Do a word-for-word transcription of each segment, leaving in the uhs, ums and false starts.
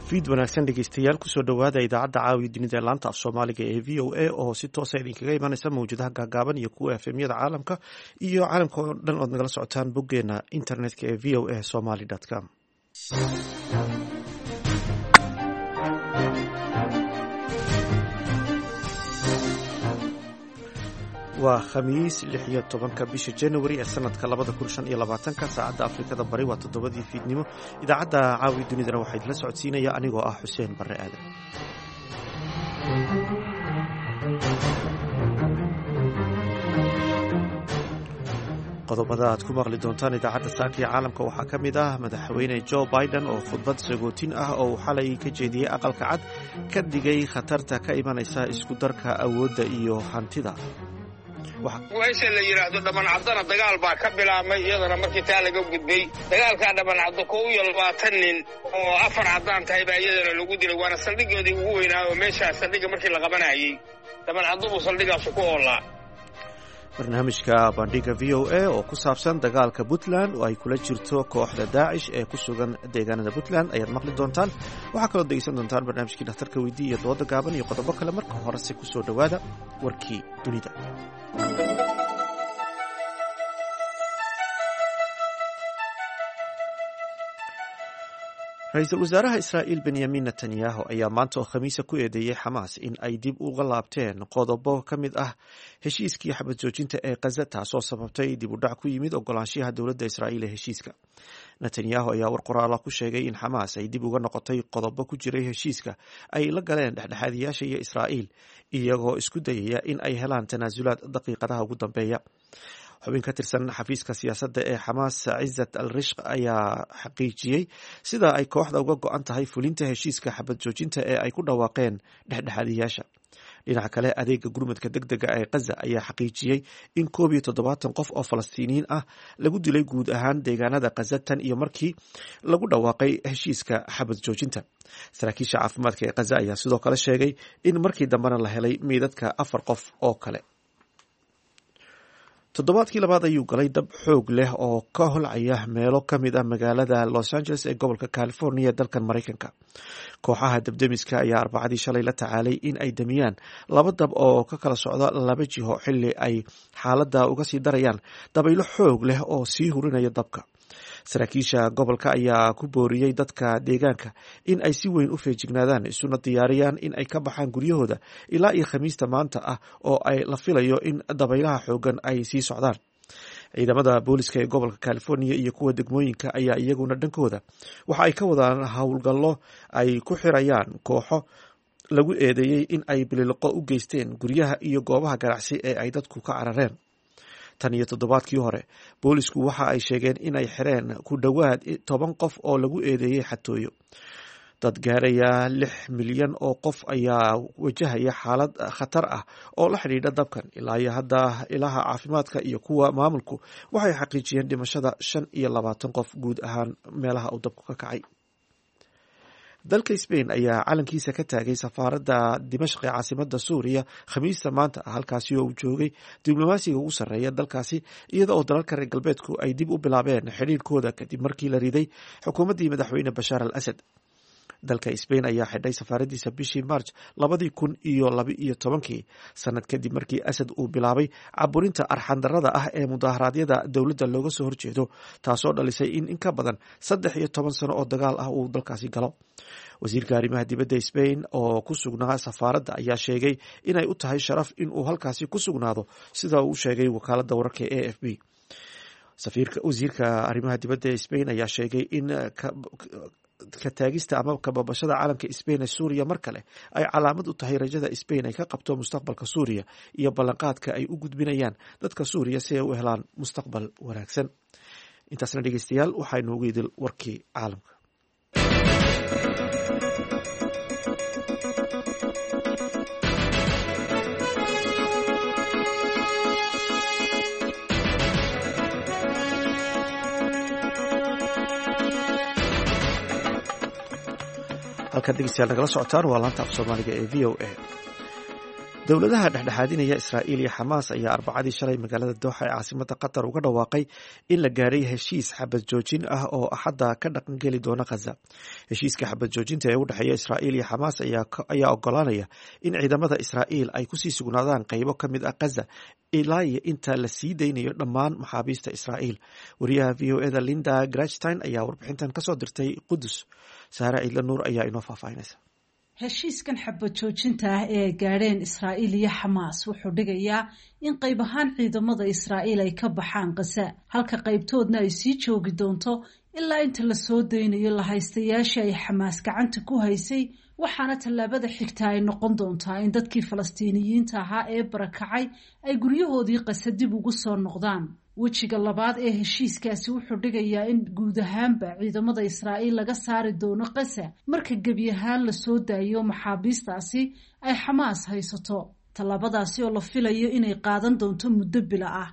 Fiid wanaagsan dhegeystayaal, kusoo dhowaada idaacadda caawiya dunida ee laanta af Soomaaliga ee V O A oo si toosa idinkaga imanaysa mawjadaha gaagaaban iyo kuwa F M yada caalamka iyo caalamka oo dhan ood nagala socotaan boggeena internetka ee V O A Somali com. Waa Khamiis, lix iyo tobanka bisha January ee sanadka labada kun shan iyo labaatanka. Saacadda Afrikada Bari waa toddobadii fiidnimo. Idaacadda caawi dunidana waxaa idinla socodsiinaya anigoo ah Xuseen Barre Aadan. Qodobada aad ku maqli doontaan idaacadda saaka iyo caalamka waxaa ka mid ah Madaxweyne Joe Biden oo khudbad sagootin ah oo uu xalay ka jeediyey Aqalka Cad ka digay khatarta ka imanaysa isku darka awoodda iyo hantida. Meesha la yidhaahdo Dhabancaddana dagaal baa ka bilaabmay iyadana. Markii taa laga gudbay, dagaalkaa Dhabancaddo kow iyo labaatan nin oo afar caddaan tahay baa iyadana lagu dilay, waana saldhigoodii ugu weynaa oo meeshaa saldhigga markii la qabanayey Dhabancaddo buu saldhigaasu ku oolaa. Barnaamijka Bandhiga V O A oo ku saabsan dagaalka Puntland oo ay kula jirto kooxda Daacish ee ku sugan deegaanada Puntland ayaad maqli doontaan. Waxaa kaloo degeysan doontaan barnaamijkii Dhakhtarka Weydii iyo dooda gaaban iyo qodobo kale. Marka horese kusoo dhowaada warkii dunida. Ra-iisul wasaaraha Israa'iil Benyamin Netanyahu ayaa maanta oo Khamiisa ku eedeeyey Xamaas in ay dib uga laabteen qodobo ka mid ah heshiiskii xabad joojinta ee Kaza, taasoo sababtay dib u dhac ku yimid ogolaanshiyaha dowladda Israa'iil ee heshiiska. Netanyahu ayaa war qoraala ku sheegay in Xamaas ay dib uga noqotay qodobo ku jiray heshiiska ay la galeen dhexdhexaadiyaasha iyo Israa'iil, iyagoo isku dayaya in ay helaan tanaasulaad daqiiqadaha ugu dambeeya. Xubin ka tirsan xafiiska siyaasadda ee Xamaas, Cizat al Rishq, ayaa xaqiijiyey sida ay kooxda uga go-an tahay fulinta heshiiska xabad joojinta ee ay ku dhawaaqeen dhexdhexaadiyaasha. Dhinaca kale, adeega gurmadka deg dega ee Kaza ayaa xaqiijiyey in koob iyo toddobaatan qof oo Falastiiniyiin ah lagu dilay guud ahaan deegaanada Kaza tan iyo markii lagu dhawaaqay heshiiska xabad joojinta. Saraakiisha caafimaadka ee Kaza ayaa sidoo kale sheegay in markii dambena la helay meydadka afar qof oo kale. Toddobaadkii labaad ayuu galay dab xoog leh oo ka holcaya meelo ka mid ah magaalada Los Angeles ee gobolka California dalkan Maraykanka. Kooxaha dabdemiska ayaa Arbacadii shalay la tacaalay in ay damiyaan laba dab oo ka kala socda laba jiho, xilli ay xaaladda uga sii darayaan dabaylo xoog leh oo sii hurinaya dabka. Saraakiisha gobolka ayaa ku booriyey dadka deegaanka in ay si weyn u feejignaadaan, isuna diyaariyaan in ay ka baxaan guryahooda ilaa iyo Khamiista maanta ah oo ay la filayo in dabaylaha xoogan ay sii socdaan. Ciidamada booliska ee gobolka California iyo kuwa degmooyinka ayaa iyaguna dhankooda waxa ay ka wadaan howlgallo ay ku xirayaan kooxo lagu eedeeyey in ay bililiqo u geysteen guryaha iyo goobaha ganacsi ee ay dadku ka carareen. Tan iyo toddobaadkii hore, boolisku waxa ay sheegeen inay xireen ku dhowaad toban qof oo lagu eedeeyey xatooyo. Dad gaaraya lix milyan oo qof ayaa wajahaya xaalad khatar ah oo la xidhiidha dabkan. Ilaa iyo hadda, ilaha caafimaadka iyo kuwa maamulku waxay xaqiijiyeen dhimashada shan iyo labaatan qof guud ahaan meelaha uu dabku ka kacay. Dalka Spain ayaa calankiisa ka taagay safaaradda Dimashq ee caasimada Suuriya Khamiista maanta ah, halkaasi oo uu joogay diblomaasiga ugu sarreeya dalkaasi, iyada oo dalalka reer galbeedku ay dib u bilaabeen xidhiirkooda kadib markii la riday xukuumaddii Madaxweyne Bashaar al Asad. Dalka Spain ayaa xidhay safaaradiisa bishii March labadii kun iyo laba iyo tobankii, sanad kadib markii Asad uu bilaabay caburinta arxandarada ah ee mudaharaadyada dowladda looga soo horjeedo, taasoo dhalisay in in ka badan saddex iyo toban sano oo dagaal ah uu dalkaasi galo. Wasiirka arrimaha dibadda Spain oo ku sugnaa safaaradda ayaa sheegay inay u tahay sharaf in uu halkaasi ku sugnaado, sida uu sheegay wakaaladda wararka A F P. Wasiirka arrimaha dibadda ee Spain ayaa sheegay in ka taagista ama kababashada calanka Spain ee Suuriya mar kale ay calaamad u tahay rajada Spain ay ka qabto mustaqbalka Suuriya iyo ballanqaadka ay u gudbinayaan dadka Suuriya si ay u helaan mustaqbal wanaagsan. Intaasna dhegeystayaal, waxaa inoogu idil warkii caalamka. Halkaad dhegeystayaal nagala socotaan waa laanta af Soomaaliga ee V O A. Dowladaha dhexdhexaadinaya Israa'iil iyo Xamaas ayaa Arbacadii shalay magaalada Dooxa ee caasimada Qatar uga dhawaaqay in la gaaray heshiis xabad joojin ah oo Axadda ka dhaqangeli doona Khaza. Heshiiska xabad joojinta ee u dhexeeya Israa'iil iyo Xamaas ayaa ogolaanaya in ciidamada Israa'iil ay kusii sugnaadaan qeybo ka mid ah Khaza ilaa iyo inta la sii daynayo dhammaan maxaabiista Israa'iil. Wariyaha V O eda Linda Grachstein ayaa warbixintan kasoo dirtay Qudus. Saare Ciidla Nuur ayaa inoo faahfaahinaysa. Heshiiskan xabad joojinta ah ee ay gaadheen Israa'iil iyo Xamaas wuxuu dhigayaa in qayb ahaan ciidamada Israa'iil ay ka baxaan Khaza, halka qaybtoodna ay sii joogi doonto ilaa inta la soo daynayo lahaystayaashii ay Xamaas gacanta ku haysay. Waxaana tallaabada xigta ay noqon doontaa in dadkii Falastiiniyiinta ahaa ee barakacay ay guryahoodii Khaza dib ugu soo noqdaan. Wejiga labaad ee heshiiskaasi wuxuu dhigayaa in guud ahaanba ciidamada Israa'iil laga saari doono Khaza marka gebi ahaan lasoo daayo maxaabiistaasi ay Xamaas haysato, tallaabadaasi oo la filayo inay qaadan doonto muddo bila ah.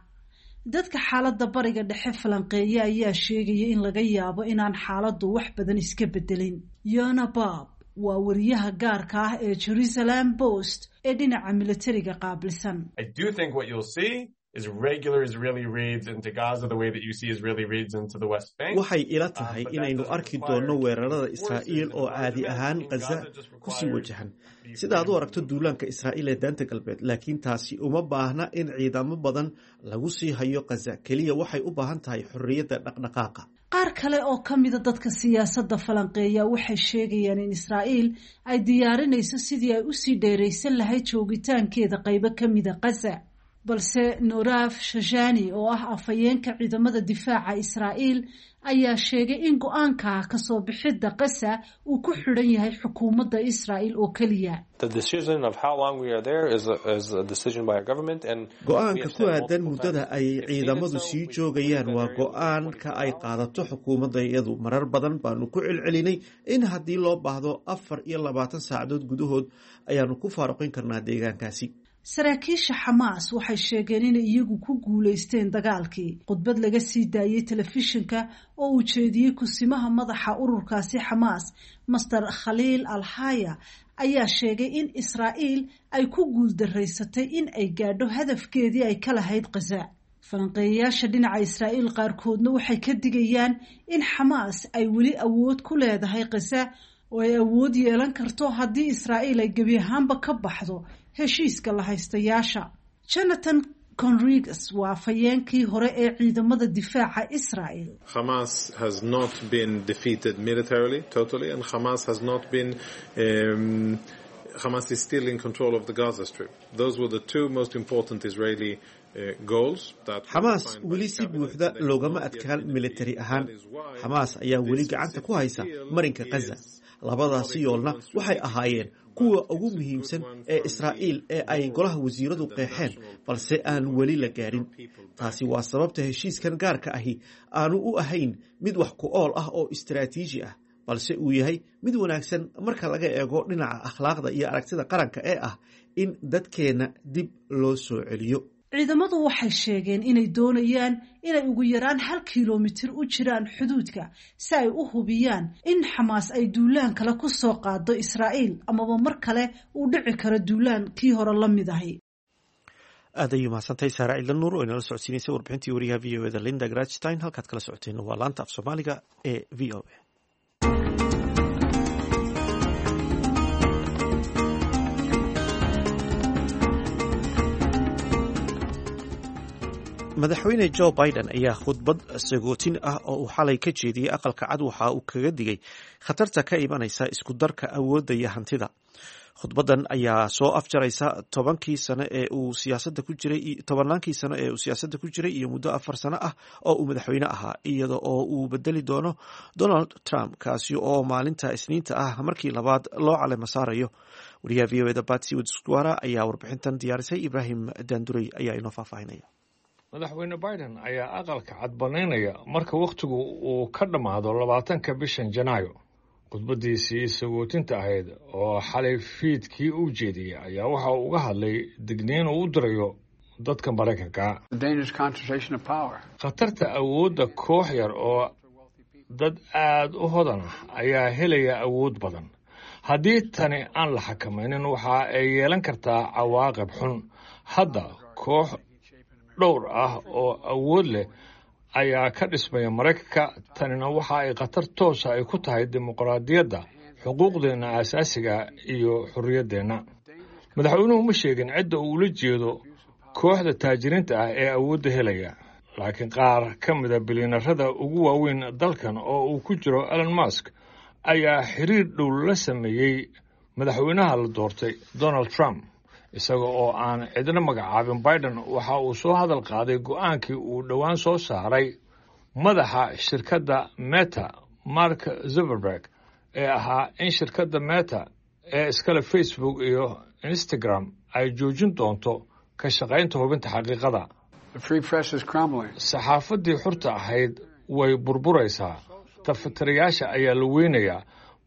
Dadka xaaladda Bariga Dhexe falanqeeya ayaa sheegaya in laga yaabo inaan xaaladdu wax badan iska bedelin. Yona Bob waa wariyaha gaarka ah ee Jerusalem Post ee dhinaca militariga qaabilsan. Waxay ila tahay inaynu arki doonno weerarada Israa'iil oo caadi ahaan Khaza kusii wajahan, sida aad u aragto duulaanka Israa'iil ee Daanta Galbeed. Laakiin taasi uma baahna in ciidamo badan lagu sii hayo Khaza. Keliya waxay u baahan tahay xorriyadda dhaqdhaqaaqa. Qaar kale oo ka mida dadka siyaasadda falanqeeya waxay sheegayaan in Israa'iil ay diyaarinayso sidii ay usii dheeraysan lahayd joogitaankeeda qaybo ka mida Khaza. Balse Noraf Shajani oo ah afhayeenka ciidamada difaaca Israa'iil ayaa sheegay in go-aanka kasoo bixidda Khaza uu ku xidhan yahay xukuumadda Israa'iil oo keliya. Go-aanka ku aadan muddada ay ciidamadu sii joogayaan waa go-aanka ay qaadato xukuumadda iyadu. Marar badan baanu ku celcelinay in haddii loo baahdo afar iyo labaatan saacadood gudahood ayaanu ku faaruqin karnaa deegaankaasi. Saraakiisha Xamaas waxay sheegeen inay iyagu ku guulaysteen dagaalkii. Khudbad laga sii daayey telefishinka oo uu jeediyey kusimaha madaxa ururkaasi Xamaas, Master Khaliil Alhaya, ayaa sheegay in Israa'iil ay ku guuldaraysatay in ay gaadho hadafkeedii ay ka lahayd Khaza. Falanqeeyayaasha dhinaca Israa'iil qaarkoodna waxay ka digayaan in Xamaas ay weli awood ku leedahay Khaza oo ay awood yeelan karto haddii Israa'iil ay gebi ahaanba ka baxdo heshiiska lahaystayaasha. Jonathan Conriges waa afhayeenkii hore ee ciidamada difaaca Israa'iil. Hamas has not been defeated militarily totally, and Hamas has not been um, Hamas is still in control of the Gaza Strip. Those were the two most important Israeli Xamaas weli si buuxda loogama adkaan militari ahaan. Xamaas ayaa weli gacanta ku haysa marinka Khaza. Labadaasi yoolna waxay ahaayeen kuwa ugu muhiimsan ee Israa'iil ee ay golaha wasiiradu qeexeen, balse aan weli la gaarin. Taasi waa sababta heshiiskan gaarka ahi aanu u ahayn mid wax ku ool ah oo istaraatiiji ah, balse uu yahay mid wanaagsan marka laga eego dhinaca akhlaaqda iyo aragtida qaranka ee ah in dadkeenna dib loo soo celiyo. Ciidamadu waxay sheegeen inay doonayaan inay ugu yaraan hal kilomitir u jiraan xuduudka si ay u hubiyaan in Xamaas ay duulaan kale ku soo qaado Israa'iil amaba mar kale uu dhici karo duulaan kii hore la mid ahi. Aad ayuu mahadsantahay Saara Ciidla Nuur oo inala socodsiinaysay warbixintii wariyaha V O eda Linda Grachstein. Halkaad kala socoteen waa laanta af Soomaaliga ee V O A. Madaxweyne Joe Biden ayaa khudbad sagootin ah oo uu xalay ka jeediyey Aqalka Cad waxa uu kaga digay khatarta ka imanaysa isku darka awoodda iyo hantida. Khudbadan ayaa soo afjaraysa tobankii sano ee uu siyaasadda ku jiray, tobannaankii sano ee uu siyaasadda ku jiray iyo muddo afar sano ah oo uu madaxweyne ahaa, iyada oo uu bedeli doono Donald Trump, kaasi oo maalinta Isniinta ah markii labaad loo calemo saarayo. Wariyaha V O eda Batsy Widakuswara ayaa warbixintan diyaarisay. Ibraahim Daandurey ayaa inoo faahfaahinaya. Madaxweyne Biden ayaa Aqalka Cad banaynaya marka wakhtigu uu ka dhammaado labaatanka bishan Janaayo. Khudbadiisii sagootinta ahayd oo xalay fiidkii u jeediyey ayaa waxa uu uga hadlay digniin uu u dirayo dadka Maraykanka. Khatarta awoodda koox yar oo dad aad u hodan ah ayaa helaya awood badan, Haddii tani aan la xakamaynin, waxa ay yeelan kartaa cawaaqib xun. Hadda koox dhowr ah oo awood leh ayaa ka dhismaya Maraykanka. Tanina waxa ay khatar toosa ay ku tahay dimuqraadiyadda, xuquuqdeenna aasaasiga iyo xorriyaddeenna. Madaxweynuhu ma sheegin cidda uu ula jeedo kooxda taajiriinta ah ee awoodda helaya, laakiin qaar ka mida bilyanarada ugu waaweyn dalkan oo uu ku jiro Elon Musk ayaa xiriir dhow la sameeyey madaxweynaha la doortay Donald Trump. Isaga oo aan cidna magacaabin, Biden waxa uu soo hadal qaaday go'aankii uu dhowaan soo saaray madaxa shirkadda Meta, Mark Zuckerberg, ee ahaa in shirkadda Meta ee iskale Facebook iyo Instagram ay joojin doonto ka shaqaynta hubinta xaqiiqada. Saxaafaddii xurta ahayd way burburaysaa, tafatirayaasha ayaa la weynayaa,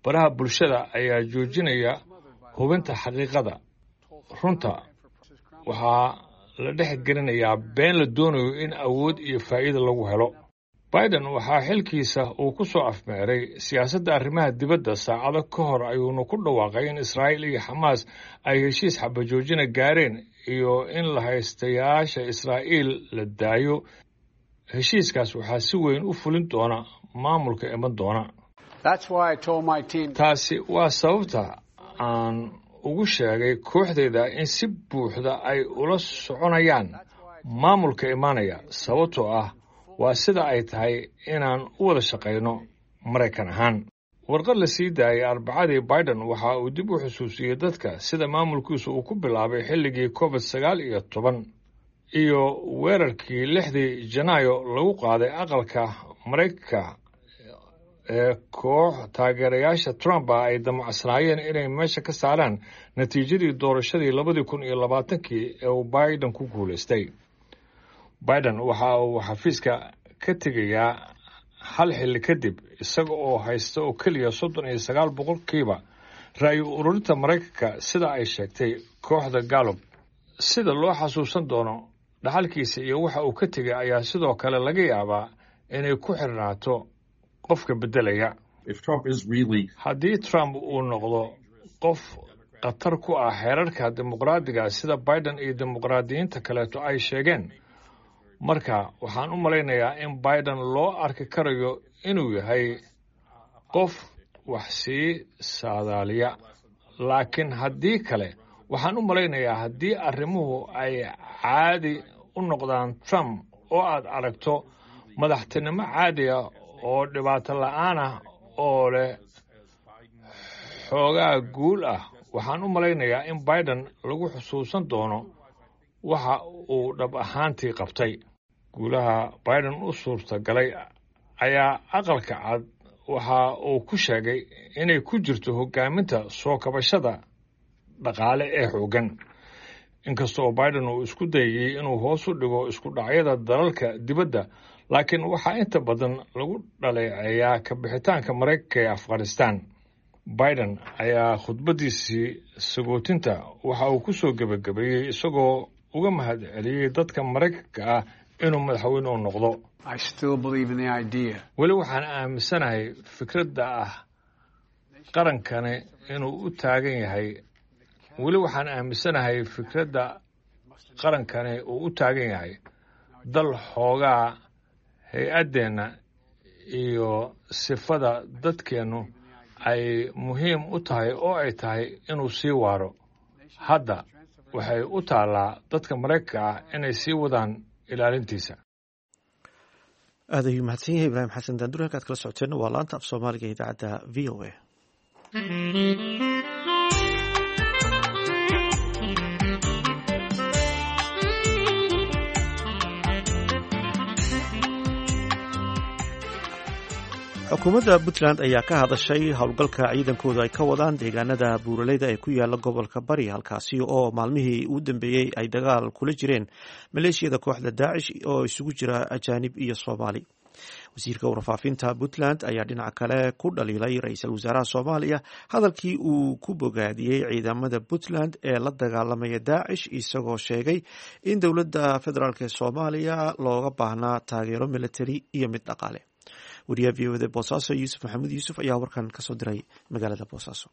baraha bulshada ayaa joojinaya hubinta xaqiiqada. Runta waxaa la dhex gelinayaa been la doonayo in awood iyo faa'iida lagu helo. Biden waxaa xilkiisa uu ku soo afmeeray siyaasadda arrimaha dibadda. Saacado ka hor ayuuna ku dhawaaqay in Israa'iil iyo Xamaas ay heshiis xabajoojina gaareen iyo in la haystayaasha Israa'iil la daayo. Heshiiskaas waxaa si weyn u fulin doona maamulka iman doona. Taasi waa sababta aan ugu sheegay kooxdayda in si buuxda ay ula soconayaan maamulka imaanaya, sababtoo ah waa sida ay tahay inaan u wada shaqayno Maraykan ahaan. Warqad la sii daayay Arbacadii, Biden waxa uu dib u xusuusiyey dadka sida maamulkiisu uu ku bilaabay xilligii Covid sagaal iyo toban iyo weerarkii lixdii Janaayo lagu qaaday aqalka Maraykanka ee koox taageerayaasha Trump ah ay damacsanaayeen inay meesha ka saaraan natiijadii doorashadii labadii kun iyo labaatankii ee uu Biden ku guulaystay. Biden waxa uu xafiiska ka tegayaa hal xilli kadib isaga oo haysta oo keliya soddon iyo sagaal boqolkiiba ra'yi ururinta Maraykanka, sida ay sheegtay kooxda Gallup. Sida loo xasuusan doono dhaxalkiisa iyo waxa uu ka tegay ayaa sidoo kale laga yaabaa inay ku xirnaato qofka beddelaya. Haddii Trump uu noqdo qof khatar ku ah xeerarka dimuqraadiga, sida Biden iyo dimuqraadiyiinta kaleeto ay sheegeen, marka waxaan u malaynayaa in Biden loo arki karayo inuu yahay qof wax sii saadaaliya. Laakiin haddii kale, waxaan u malaynayaa haddii arrimuhu ay caadi u noqdaan Trump oo aad aragto madaxtinimo caadi ah oo dhibaato la'aan ah oo leh xoogaa guul ah, waxaan u malaynayaa in Biden lagu xusuusan doono waxa uu dhab ahaantii qabtay. Guulaha Biden u suurtagalay ayaa Aqalka Cad waxa uu ku sheegay inay ku jirto hoggaaminta soo kabashada dhaqaale ee xooggan. Inkasta oo Biden uu isku dayayey inuu hoos u dhigo isku dhacyada dalalka dibadda, laakiin waxaa inta badan lagu dhaleeceeyaa ka bixitaanka Maraykanka ee Afghanistan. Biden ayaa khudbaddiisii sagootinta waxa uu ku soo gebagabeeyey isagoo uga mahad celiyey dadka Maraykanka ah inuu madaxweyne u noqdo. Weli waxaan aaminsanahay fikradda ah qarankani inuu u taagan yahay. Weli waxaan aaminsanahay fikradda qarankani uu u taagan yahay dal xoogaa hay-addeenna iyo sifada dadkeennu ay muhiim u tahay oo ay tahay inuu sii waaro. Hadda waxay u taallaa dadka Maraykanka ah inay sii wadaan ilaalintiisa. Aad ayuu mahadsan yahay Ibraahim Xasan Daandur. Halkaad kala socoteenna waa laanta af Soomaaliga idaacadda V O A. Xukuumadda Puntland ayaa ka hadashay howlgalka ciidankoodu ay ka wadaan deegaanada buuraleyda ee ku yaala gobolka Bari, halkaasi oo maalmihii ugu dambeeyey ay dagaal kula jireen maleeshiyada kooxda Daacish oo isugu jira ajaanib iyo Soomaali. Wasiirka warfaafinta Puntland ayaa dhinaca kale ku dhaliilay ra-iisul wasaaraha Soomaaliya hadalkii uu ku bogaadiyey ciidamada Puntland ee la dagaalamaya Daacish, isagoo sheegay in dowladda federaalk ee Soomaaliya looga baahnaa taageero militari iyo mid dhaqaale. Wariyaha V O da Boosaaso, Yuusuf Maxamuud Yuusuf, ayaa warkan kasoo diray magaalada Boosaaso.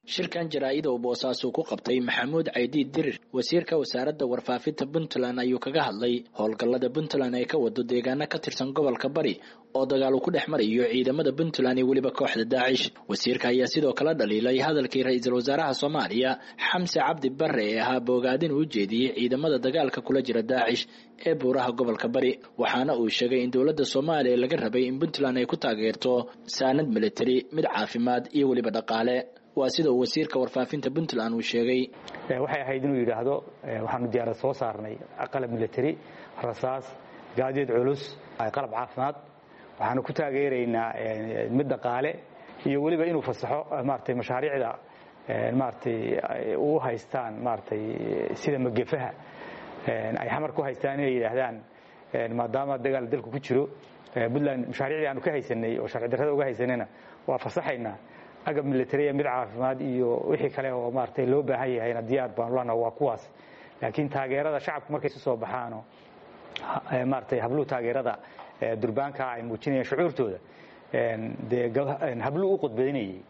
Shirkan jaraa'id oo Boosaaso ku qabtay Maxamuud Caydiid Dirir, wasiirka wasaaradda warfaafinta Puntland, ayuu kaga hadlay howlgallada Puntland ay ka wado deegaano ka tirsan gobolka Bari oo dagaal uu ku dhex marayo ciidamada Puntland iyo weliba kooxda Daacish. Wasiirka ayaa sidoo kale dhaliilay hadalkii ra-iisul wasaaraha Soomaaliya Xamse Cabdi Barre ee ahaa boogaadin uu jeediyey ciidamada dagaalka kula jira Daacish ee buuraha gobolka Bari, waxaana uu sheegay in dowladda Soomaaliya laga rabay in Puntland ay ku taageerto saanad militari, mid caafimaad iyo weliba dhaqaale. Waa sida uu wasiirka warfaafinta Puntland uu sheegay. Waxay ahayd inuu yidhaahdo waxaanu diyaarad soo saarnay, qalab militari, rasaas, gaadiid culus, qalab caafimaad, waxaanu ku taageeraynaa mid dhaqaale, iyo weliba inuu fasaxo maaragtay mashaariicda maaragtay u haystaan maaragtay sida magefaha ay xamar ku haystaan, inay yidhaahdaan maadaama dagaal dalku ku jiro Puntland mashaariicdii aanu ka haysanay oo sharci darrada uga haysanayna waa fasaxaynaa, agab militariya, mid caafimaad iyo wixii kale oo maaragtay loo baahan yahayna diyaar baanu lana waa kuwaas. Laakiin taageerada shacabku markay isu soo baxaano, maaragtay habluhu taageerada durbaanka ay muujinayaan shucuurtooda, dee habluu u khudbaynayay.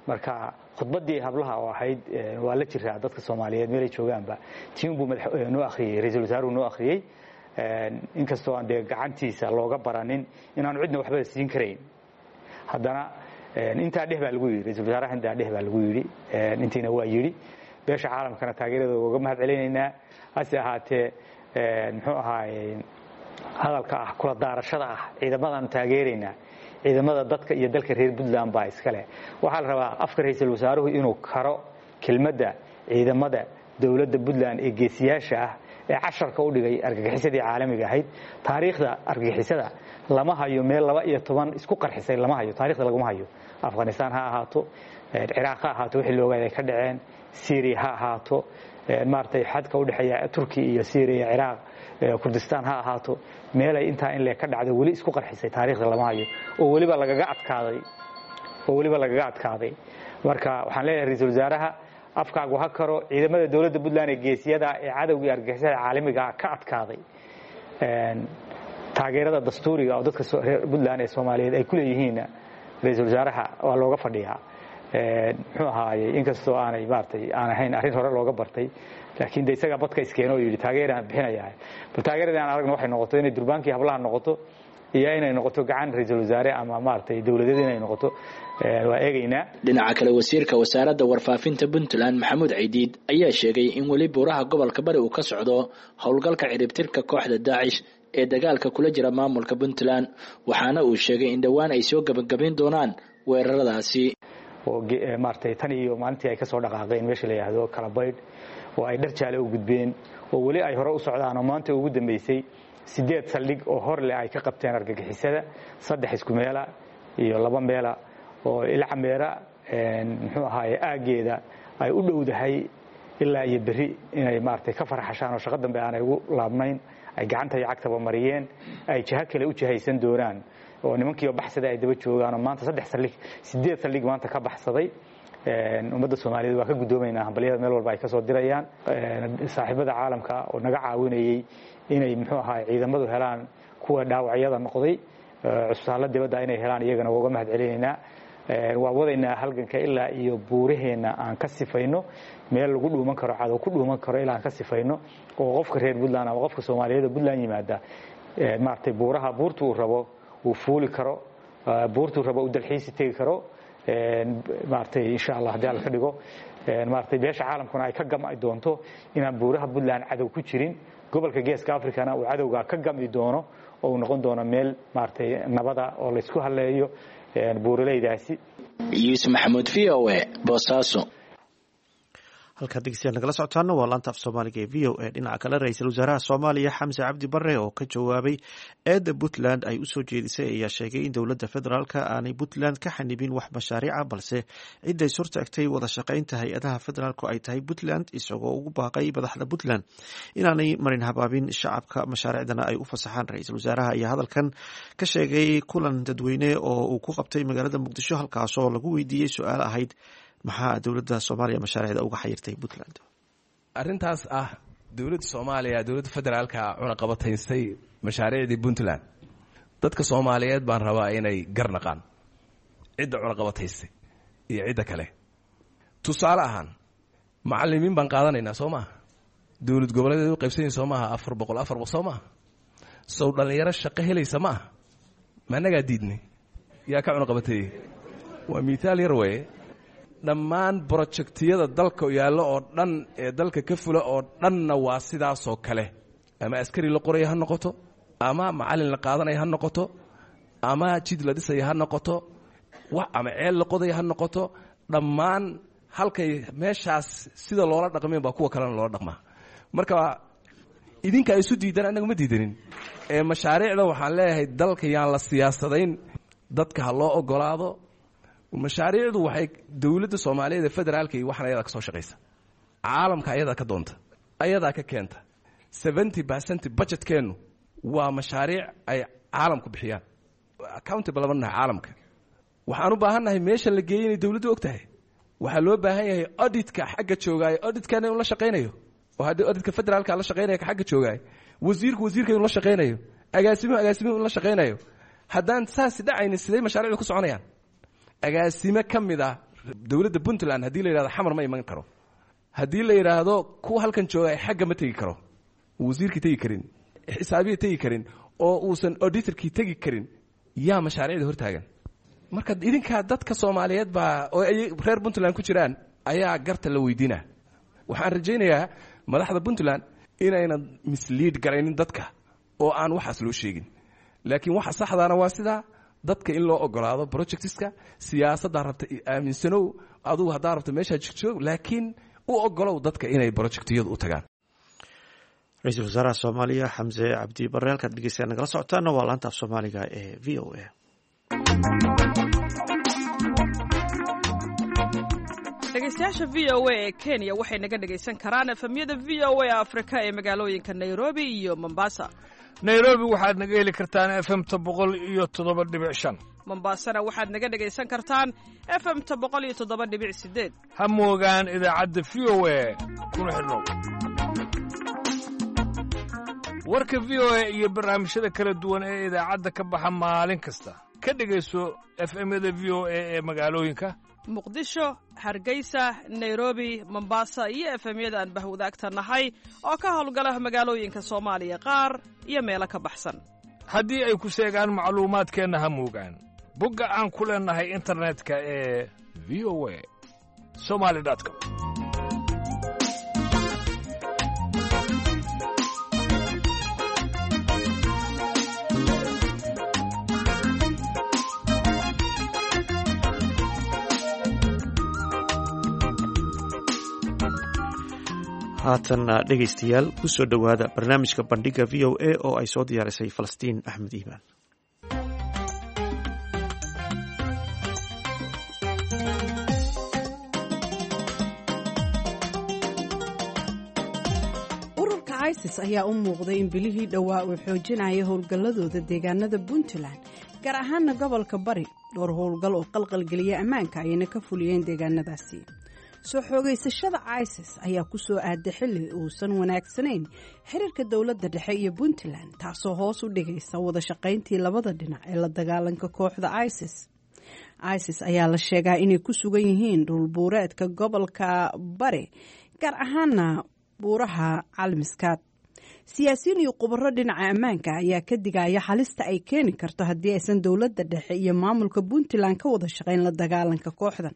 Marka khudbaddii hablaha oo ahayd waa la jiraa dadka Soomaaliyeed meelay joogaanba, tiin buu noo akhriyey, ra-iisul wasaaruhu noo akhriyey, inkastoo aan dee gacantiisa looga baranin inaanu cidna waxba siin karayn, haddana intaa dheh baa lagu yidhi ra-isul wasaaraha, intaa dheh baa lagu yidhi, intiina waa yidhi. Beesha caalamkana taageeradooda uga mahad celinaynaa. Hase ahaatee, muxuu ahaaye, hadalka ah kula daarashada ah ciidamadaanu taageeraynaa, ciidamada dadka iyo dalka reer Puntland baa iskale. Waxaa la rabaa afka ra-iisul wasaaruhu inuu karo kelmadda ciidamada dowladda Puntland ee geesiyaasha ah ee casharka u dhigay argagixisadii caalamiga ahayd. Taariikhda argagixisada lama hayo meel laba iyo toban isku qarxisay, lama hayo, taarikhda laguma hayo. Afghanistan ha ahaato, Ciraaq ha ahaato, wixii loogaad ay ka dhaceen, Syria ha ahaato, maaragtay xadka u dhexeeya Turki iyo Syria, Ciraaq, Kurdistan ha ahaato, meelay intaa in lee ka dhacdo weli isku qarxisay taariikhda lama hayo, oo weliba lagaga adkaaday, oo weliba lagaga adkaaday. Marka waxaan leeyahay ra-iisul wasaaraha, afkaagu ha karo ciidamada dowladda Puntland ee geesiyada ee cadowgii argagixisada caalamiga ka adkaaday. Taageerada dastuuriga oo dadka reer Puntland ee Soomaaliyeed ay ku leeyihiin ra-iisul wasaaraha waa looga fadhiyaa. Muxuu ahaayey, inkastoo aanay maaragtay aan ahayn arrin hore looga bartay, laakiin de isagaa badka iskeeno oo yidhi taageeraan bixinayaa. Bal taageeradii aan aragna waxay noqoto inay durbaankii hablaha noqoto iyo inay noqoto gacan ra-iisul wasaare ama maaragtay dowladeed inay noqoto, waa eegaynaa. Dhinaca kale, wasiirka wasaaradda warfaafinta Puntland Maxamuud Caydiid ayaa sheegay in weli buuraha gobolka Bari uu ka socdo howlgalka ciribtirka kooxda Daacish ee dagaalka kula jira maamulka Puntland, waxaana uu sheegay in dhowaan ay soo gabagabayn doonaan weeraradaasi. Oo maaragtay tan iyo maalintii ay ka soo dhaqaaqeen meesha la yidhaahdo Kalabaydh oo ay dhar jaale u gudbeen oo weli ay hore u socdaan, oo maanta ugu dambeysay sideed saldhig oo hor leh ay ka qabteen argagixisada, saddex isku meela iyo laba meela oo Ilcameera, muxuu ahaaye, aaggeeda ay u dhowdahay ilaa iyo berri inay maaragtay ka farxashaan oo shaqo dambe aanay ugu laabnayn, ay gacanta iyo cagtaba mariyeen, ay jiho kale u jihaysan doonaan oo nimankiioo baxsada ay daba joogaan, oo maanta saddex saldhig, sideed saldhig maanta ka baxsaday. Ummadda Soomaaliyeed waa ka guddoomaynaa hambalyada meel walba ay ka soo dirayaan. Saaxiibada caalamka oo naga caawinayey inay muxuu ahaa ciidamadu helaan kuwa dhaawacyada noqday cusbitaallo dibadda inay helaan, iyagana waa uga mahad celinaynaa. Waa wadaynaa halganka ilaa iyo buuraheenna aan ka sifayno meel lagu dhuuman karo, cadow ku dhuuman karo ilaa aan ka sifayno, oo qofka reer Puntland ama qofka Soomaaliyeed oo Puntland yimaada maaragtay buuraha buurta uu rabo uu fuuli karo, buurtuu rabo uu dalxiisi tegi karo, maaragtay insha Allah haddii Alla ka dhigo, maaragtay beesha caalamkuna ay ka gam'i doonto inaan buuraha Puntland cadow ku jirin, gobolka Geeska Africana uu cadowgaa ka gam'i doono oo uu noqon doono meel maaragtay nabada oo laysku halleeyo buuraleydaasi. Yuusuf Maxamuud, V O A, Boosaaso. Halkaad dhegeystayaal nagala socotaana waa laanta af Soomaaliga ee V O A. Dhinaca kale, ra-iisul wasaaraha Soomaaliya Xamse Cabdi Bare oo ka jawaabay eedda Puntland ay usoo jeedisay ayaa sheegay in dowladda federaalka aanay Puntland ka xanibin wax mashaariica, balse ciday surtaagtay wada shaqaynta hay-adaha federaalku ay tahay Puntland, isagoo ugu baaqay madaxda Puntland inaanay marin habaabin shacabka, mashaariicdana ay u fasaxaan. Ra-iisul wasaaraha ayaa hadalkan ka sheegay kulan dadweyne oo uu ku qabtay magaalada Muqdisho, halkaasoo lagu weydiiyey su-aal ahayd maxaa dowladda Soomaaliya mashaariicda uga xayirtay Puntland. Arrintaas ah dowladda Soomaaliya, dowladda federaalka cunaqabataysay mashaariicdii Puntland, dadka Soomaaliyeed baan rabaa inay garnaqaan cidda cunaqabataysay iyo cidda kale. Tusaale ahaan, macallimiin baan qaadanaynaa, soo maaha? Dowlad goboleedeed u qaybsanyihin, soo maaha? Afar boqol afar boqol, soo maaha? Sow dhallinyaro shaqo helaysa ma aha? Ma annagaa diidnay? Yaa ka cunaqabateeyey? Waa miithaal yar weeye. Dhammaan projectiyada dalka yaallo oo dhan ee dalka ka fula oo dhanna waa sidaasoo kale. Ama askari la qoraya ha noqoto, ama macallin la qaadanaya ha noqoto, ama jid la dhisaya ha noqoto, ama ceel la qodaya ha noqoto, dhammaan halkay meeshaas sida loola dhaqmeen baa kuwa kalena loola dhaqmaa. Marka idinka isu diidan, annaga ma diidanin. Ee mashaariicda waxaan leeyahay, dalka yaan la siyaasadayn, dadka ha loo ogolaado. Mashaariicdu waxay dowladda Soomaaliyeed ee federaalka iyo waxaan ayadaa ka soo shaqaysa, caalamka ayadaa ka doonta, ayadaa ka keenta. Seventy percent budgetkeennu waa mashaariic ay caalamku bixiyaan. Accountable lama nahay caalamka. Waxaan u baahannahay meesha la geeyey inay dowladdu og tahay. Waxaa loo baahan yahay auditka xagga joogaayo auditkana inuu la shaqaynayo, oo haddii auditka federaalka la shaqaynaya ka xagga joogaayo, wasiirku wasiirka inuu la shaqaynayo, agaasimuhu agaasimuhu inuu la shaqaynayo. Haddaan saasi dhacaynin, sidee mashaariicdu ku soconayaan? Agaasime ka mid ah dowladda Puntland haddii la yidhahdo Xamar ma iman karo, haddii la yidhaahdo kuwa halkan jooga xagga ma tegi karo, wasiirkii tegi karin, xisaabiya tegi karin, oo uusan auditorkii tegi karin, yaa mashaariicda hortaagan? Marka idinkaa dadka Soomaaliyeed baa oo ay reer Puntland ku jiraan ayaa garta la weydiinaa. Waxaan rajaynayaa madaxda Puntland inaynan mislead garaynin dadka oo aan waxaas loo sheegin, laakiin waxa saxdaana waa sidaa dadka in loo ogolaado projectiska. Siyaasaddaa rabta aaminsanow adugu, haddaa rabta meeshaa jigjoog, laakiin u ogolow dadka inay projectiyadu u tagaan. Ra-iisul wasaaraha Soomaaliya Xamse Cabdi Barre. Halkaad dhegeystayaa nagala socotaana waa laanta af Soomaaliga ee V O A. Dhegeystayaasha V O A ee Kenya waxay naga dhegaysan karaan F M-yada V O A Afrika ee magaalooyinka Nairobi iyo Mombasa. Nairobi waxaad naga heli kartaan F M-ta boqol iyo toddoba dhibic shan. Mombasana waxaad naga dhegaysan kartaan F M-ta boqol iyo toddoba dhibic sideed. Ha moogaan idaacadda V O A, kuna xidhnow warka V O A iyo barnaamijyada kala duwan ee idaacadda ka baxa maalin kasta. Ka dhegayso F M-yada V O A ee magaalooyinka Muqdisho, Hargeysa, Nairobi, Mombasa iyo F M-yada aan bahwadaagta nahay oo ka howlgala magaalooyinka Soomaaliya qaar iyo meelo ka baxsan. Haddii ay ku seegaan macluumaadkeenna, ha moogaan bogga aan ku leennahay internetka ee V O A somali com. Haatanna dhegaystayaal, ku soo dhowaada barnaamijka Bandhiga V O A oo ay soo diyaarisay Falastiin Axmed Iimaan. Ururka ISIS ayaa u muuqday in bilihii dhowaa uu xoojinaya howlgalladooda deegaanada Puntland, gaar ahaana gobolka Bari. Dhowr howlgal oo qalqalgeliya ammaanka ayayna ka fuliyeen deegaanadaasi. Soo xoogaysashada ISIS ayaa ku soo aaday xilli uusan wanaagsanayn xiriirka dowladda dhexe iyo Puntland, taasoo hoos u dhigaysa wada shaqayntii labada dhinac ee la dagaalanka kooxda ISIS. ISIS ayaa la sheegaa inay ku sugan yihiin dhulbuureedka gobolka Bari, gaar ahaana buuraha Calmiskaad. Siyaasiyiin iyo khubaro dhinaca ammaanka ayaa ka digaya halista ay keeni karto haddii aysan dowladda dhexe iyo maamulka Puntland ka wada shaqayn la dagaalanka kooxdan.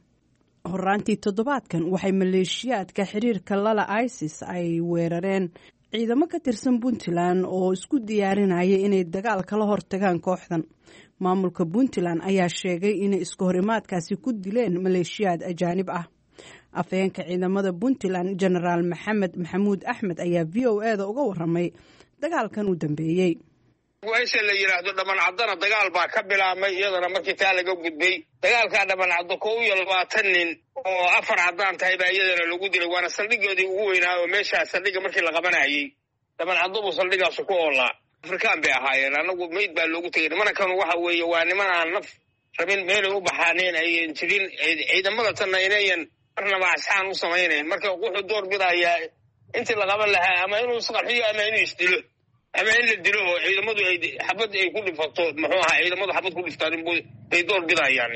Horaantii toddobaadkan waxay maleeshiyaadka xiriirka lala ISIS ay weerareen ciidamo ka tirsan Puntland oo isku diyaarinaya inay dagaal kala hortagaan kooxdan. Maamulka Puntland ayaa sheegay inay isku horimaadkaasi ku dileen maleeshiyaad ajaanib ah. Afhayeenka ciidamada Puntland, Genaraal Maxamed Maxamuud Axmed, ayaa V O A da uga waramay dagaalkan u dambeeyey. Meesha la yidhaahdo Dhamancaddana dagaal baa ka bilaabmay iyadana. Markii taa laga gudbay, dagaalkaa Dhabancaddo kow iyo labaatan nin oo afar caddaan tahay baa iyadana lagu dilay, waana saldhigoodii ugu weynaa oo meeshaa saldhigga markii la qabanayey Dhabancaddo buu saldhigaasu ku oolaa. Afrikaan bay ahaayeen. Annagu meyd baa loogu tegay. Nimankan waxa weeye waa niman aan naf rabin, meelay u baxaaneen ayan jirin, ciidamada tanna inayan marnaba asxaan u samaynayn. Marka wuxuu door bidayaa intii la qaban lahaa ama inuu isqarxiyo ama inuu isdilo ama in la dilo oo ciidamadu ay xabad ay ku dhifato, muxuu ahaa, ciidamadu xabad ku dhiftaan bay door bidayaan.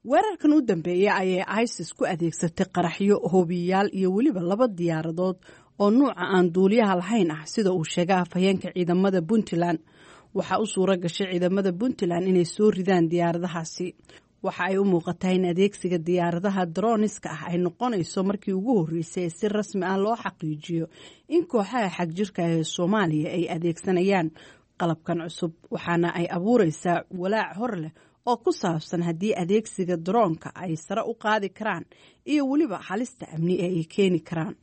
Weerarkan u dambeeya ayay ISIS ku adeegsatay qaraxyo, hoobiyayaal iyo weliba laba diyaaradood oo nuuca aan duuliyaha lahayn ah, sida uu sheegay afhayeenka ciidamada Puntland. Waxaa u suura gashay ciidamada Puntland inay soo ridaan diyaaradahaasi. Waxa ay u muuqataa in adeegsiga diyaaradaha droniska ah ay noqonayso markii ugu horreysay ee si rasmi ah loo xaqiijiyo in kooxaha xagjirka ee Soomaaliya ay adeegsanayaan qalabkan cusub, waxaana ay abuureysaa walaac hor leh oo ku saabsan haddii adeegsiga daroonka ay sare u qaadi karaan iyo weliba halista amni ee ay keeni karaan.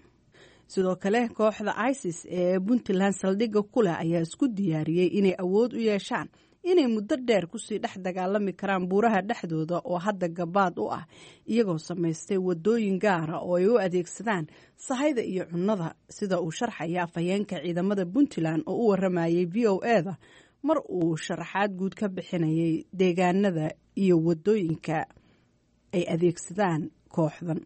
Sidoo kale, kooxda ISIS ee Puntland saldhigga ku leh ayaa isku diyaariyey inay awood u yeeshaan inay muddo dheer kusii dhex dagaalami karaan buuraha dhexdooda oo hadda gabaad u ah, iyagoo samaystay wadooyin gaara oo ay u adeegsadaan sahayda iyo cunnada, sida uu sharxaya afhayeenka ciidamada Puntland oo u waramayay V O A da mar uu sharaxaad guud ka bixinayay deegaanada iyo wadooyinka ay adeegsadaan kooxdan.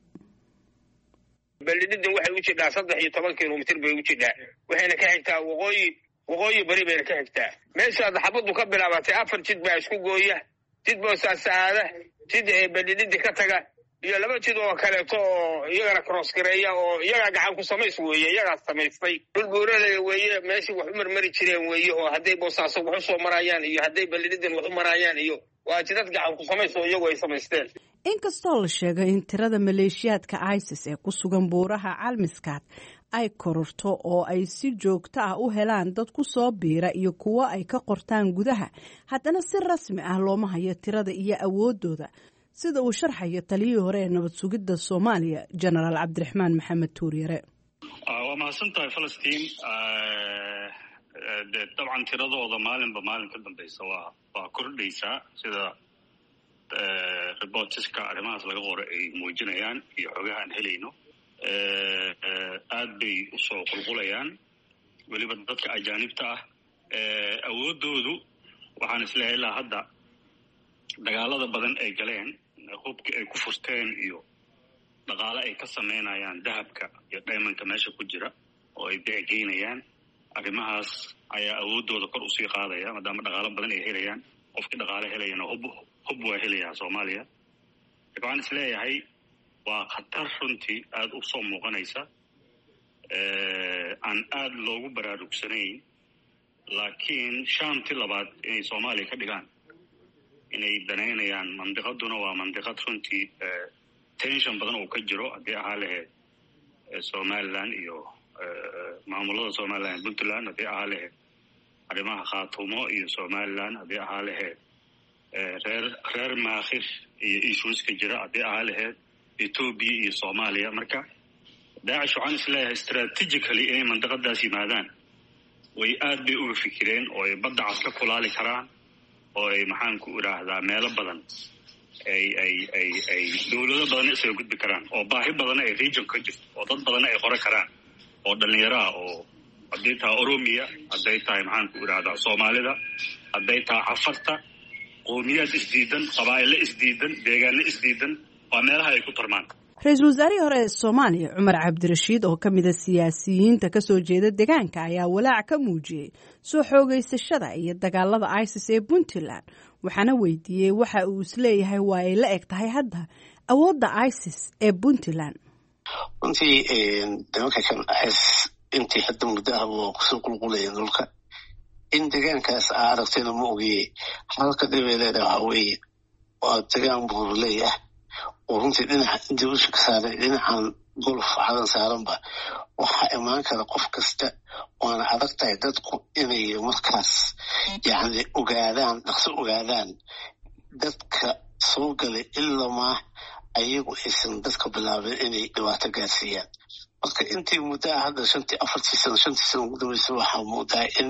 Balidhidin waxay u jidhaa saddex iyo toban kilomitir bay u jidhaa, waxayna ka xigtaa waqooyi, waqooyi bari bayna ka xigtaa. Meeshaad xabaddu ka bilaabatay afar jid baa isku gooya: jid Boosaaso aada, jid Balidhidi ka taga, iyo laba jid oo kaleeto oo iyagana cross gareeya, oo iyagaa gacan ku samays weeye, iyagaa samaystay. Dhul buuraley weeye, meeshii wax u marmari jireen weeye, oo hadday Boosaaso wax u soo marayaan iyo hadday Balidhidin wax u marayaan, iyo waa jidad gacan ku samays oo iyagu ay samaysteen. Inkastoo la sheegay in tirada maleeshiyaadka ISIS ee ku sugan buuraha Calmiskaad ay kororto oo ay si joogto ah u helaan dad ku soo biira iyo kuwo ay ka qortaan gudaha, haddana si rasmi ah looma hayo tirada iyo awooddooda, sida uu sharxayo taliyihii hore ee nabad sugidda Soomaaliya, Jenaraal Cabdiraxmaan Maxamed Tuuryare. Waa mahadsan tahay, Falastiin. De dabcan tiradooda maalinba maalin ka dambeysa waa waa kordhaysaa, sida reports-ka arrimahaas laga qoro ay muujinayaan iyo xogaha aan helayno. Aad bay usoo qulqulayaan, weliba dadka ajaanibta ah. Awooddoodu waxaan isleeyahay ilaa hadda dagaalada badan ay galeen, hubki ay ku furteen iyo dhaqaale ay ka sameynayaan dahabka iyo diamond-ka meesha ku jira oo ay beecegeynayaan, arrimahaas ayaa awooddooda kor usii qaadaya, maadaama dhaqaalo badan ay helayaan. Qofkii dhaqaale helayana hub hub waa helayaa. Soomaaliya waxaan is leeyahay waa khatar runtii aada u soo muuqanaysa, aan aada loogu baraarugsanayn, laakiin Shaamti labaad inay Soomaaliya ka dhigaan inay danaynayaan. Mandiqaduna waa mandiqad runtii tension badan oo ka jiro, haddii ahaa lahayd Somaliland iyo maamulada Somaliland, Puntland, haddii ahaa lahayd arrimaha Khaatumo iyo Somaliland, haddii ahaa lahayd reer reer Maakhir iyo issues-ka jira, haddii ahaa lahayd Etoobiya iyo Soomaaliya. Marka Daacish waxaan is leeyahay strategically inay mandiqadaas yimaadaan way aad bay uga fikireen, oo ay Badda Cas ka kulaali karaan, oo ay, maxaan ku idhaahdaa, meelo badan ay ay ay ay dowlado badanna isaga gudbi karaan, oo baahi badanna ay region ka jirto, oo dad badanna ay qora karaan oo dhallinyaro ah, oo hadday tahay Oromiya, hadday tahay, maxaan ku idhahdaa, Soomaalida, hadday tahay Cafarta, qowmiyaad isdiidan, qabaa'ilo isdiidan, deegaano isdiidan, waa meelaha ay ku tarmaan. Ra-iisul wasaarihii hore ee Soomaaliya Cumar Cabdirashiid, oo ka mida siyaasiyiinta kasoo jeeda deegaanka, ayaa walaac ka muujiyey soo xoogeysashada iyo dagaalada ISIS ee Puntland, waxaana weydiiyey waxa uu isleeyahay waa ay la eg tahay hadda awoodda ISIS ee Puntland. Runtii nimanka kan ISIS intii hadda muddo ah waa kusoo qulqulayeen dhulka in deegaankaas aa aragtayna ma ogiye. Halka dhibay leedahay waxaa weeye waa deegaan buurley ah oo runtii dhinaca intii usha ka saaray, dhinacan Golf Cadan saaranba waxaa imaan kara qof kasta, waana adag tahay dadku inay markaas yacni ogaadaan, dhaqso ogaadaan dadka soo galay, ilamaa ayagu aysan dadka bilaabin inay dhibaato gaarsiiyaan. Marka intii muddaa hadda shantii, afartii sano, shantii sano ugu dambeysay, waxaa moodaa in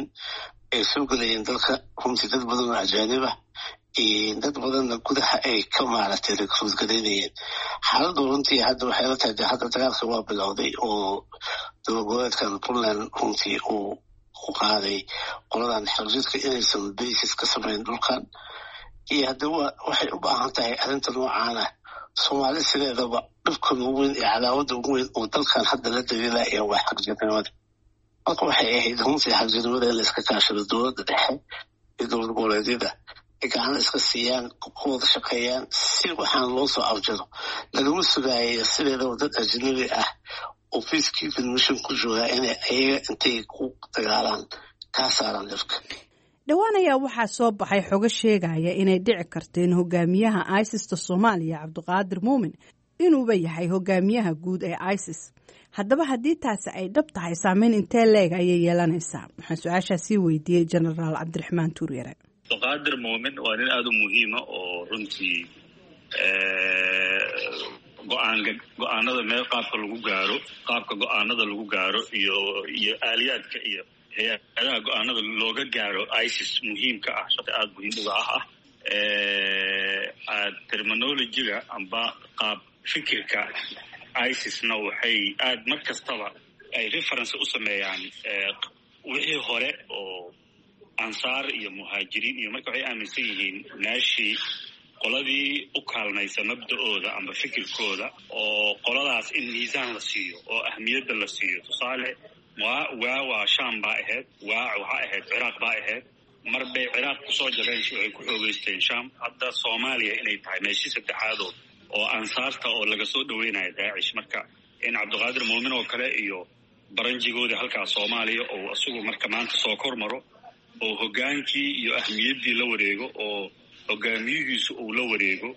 ay soo gelayeen dalka runtii dad badan oo ajaanib ah, dad badanna gudaha ay ka maaragtay recruit garaynayeen. Xaaladdu runtii hadda waxay la tahay de hadda dagaalka waa bilowday oo dowlad goboleedkan Puntland runtii uu u qaaday qoladan xagjidka inaysan basis ka samayn dhulkan. Iyo hadda waxay u baahan tahay arrinta noocaana. Soomaali sideedaba dhibkan ugu weyn iyo cadaawadda ugu weyn oo dalkan hadda la daliilaya waa xagjirnimada. Marka waxay ahayd runtii xagjirnimada in la iska kaashado, dowladda dhexe iyo dowlad goboleedyada. Ay gacan iska siiyaan, ku wada shaqeeyaan si waxaan loo soo afjaro. Lagama sugaayo sideedaba dad ajnabi ah oo peacekeeping mission ku joogaa inay ayaga intay ku dagaalaan kaa saaraan dhibka. Dhowaan ayaa waxaa soo baxay xogo sheegaya inay dhici karto in hogaamiyaha ISIS-ta Soomaaliya, Cabdiqaadir Muumin, inuuba yahay hogaamiyaha guud ee ISIS. Haddaba haddii taasi ay dhab tahay, saameyn intee leeg ayay yeelanaysaa? Waxaan su-aashaasii weydiiyey Jenaraal Cabdiraxmaan Tuuryare. Cabdiqaadir Muumin waa nin aada u muhiima oo runtii go-aan go-aanada meel qaabka lagu gaaro, qaabka go-aanada lagu gaaro iyo iyo aaliyaadka iyo hay-adaha go-aanada looga gaaro ISIS muhiimka ah, shaqi aada muhiim uga ah ah terminology-ga amba qaab fikirka ISIS-na waxay aada mar kastaba ay reference u sameeyaan wixii hore oo Ansaar iyo Muhaajiriin iyo marka waxay aaminsan yihiin meeshii qoladii u kaalmaysa mabda-ooda amba fikirkooda oo qoladaas in miisaan la siiyo oo ahmiyadda la siiyo. Tusaale, waa waa waa Shaam baa ahayd, waa waxaa ahayd Ciraaq baa ahayd. Mar bay Ciraaq kusoo jabeen, waxay ku xoogeysteen Shaam. Hadda Soomaaliya inay tahay meeshii saddexaadood oo Ansaarta oo laga soo dhaweynayo Daacish. Marka in Cabdiqaadir Muumin oo kale iyo baranjigoodii halkaas Soomaaliya oo isagu marka maanta soo kor maro oo hoggaankii iyo ahmiyaddii la wareego oo hogaamiyihiisu uu la wareego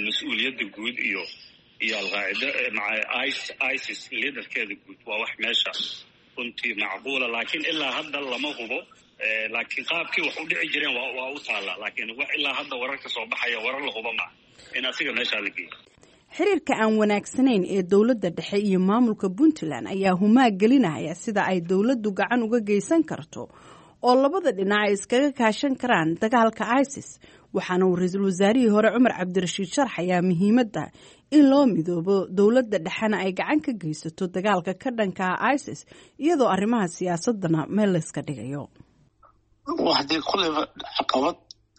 mas-uuliyadda guud iyo iyo Alqaacida maca ISIS leaderkeeda guud, waa wax meesha runtii macquula, laakiin ilaa hadda lama hubo. Laakiin qaabkii wax u dhici jireen waa waa u taallaa, laakiin wax ilaa hadda wararka soo baxaya warar la hubo maa in asiga meeshaa la geeyo. Xiriirka aan wanaagsanayn ee dowladda dhexe iyo maamulka Puntland ayaa humaag gelinaya sida ay dowladdu gacan uga geysan karto oo labada dhinac ay iskaga kaashan karaan dagaalka ISIS. Waxaana uu ra-iisul wasaarihii hore Cumar Cabdirashiid sharxayaa muhiimadda in loo midoobo, dowladda dhexena ay gacan ka geysato dagaalka ka dhanka ah ISIS, iyadoo arrimaha siyaasadana meel layska dhigayo. Hadii kulleyba caqabad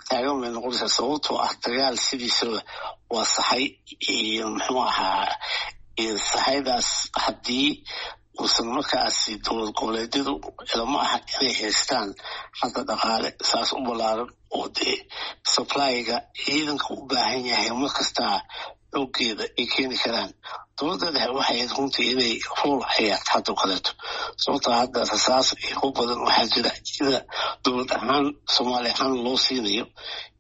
taagan bay noqonaysaa, sababtoo ah dagaal sidiisaba waa saxay iyo muxuu ahaa saxaydaas haddii uusan markaasi dowlad goboleedyadu ilama aha inay haystaan hadda dhaqaale saas u ballaaran oo dee supplyga ciidanka u baahan yahay markastaa xooggeeda ay keeni karaan. Dowladda dhexe waxay ahayd runtii inay role ciyaarto hadda o kaleeto, sababtoo hadda rasaas iyo ku badan waxaa jira sida dowlad ahaan Soomaali ahaan loo siinayo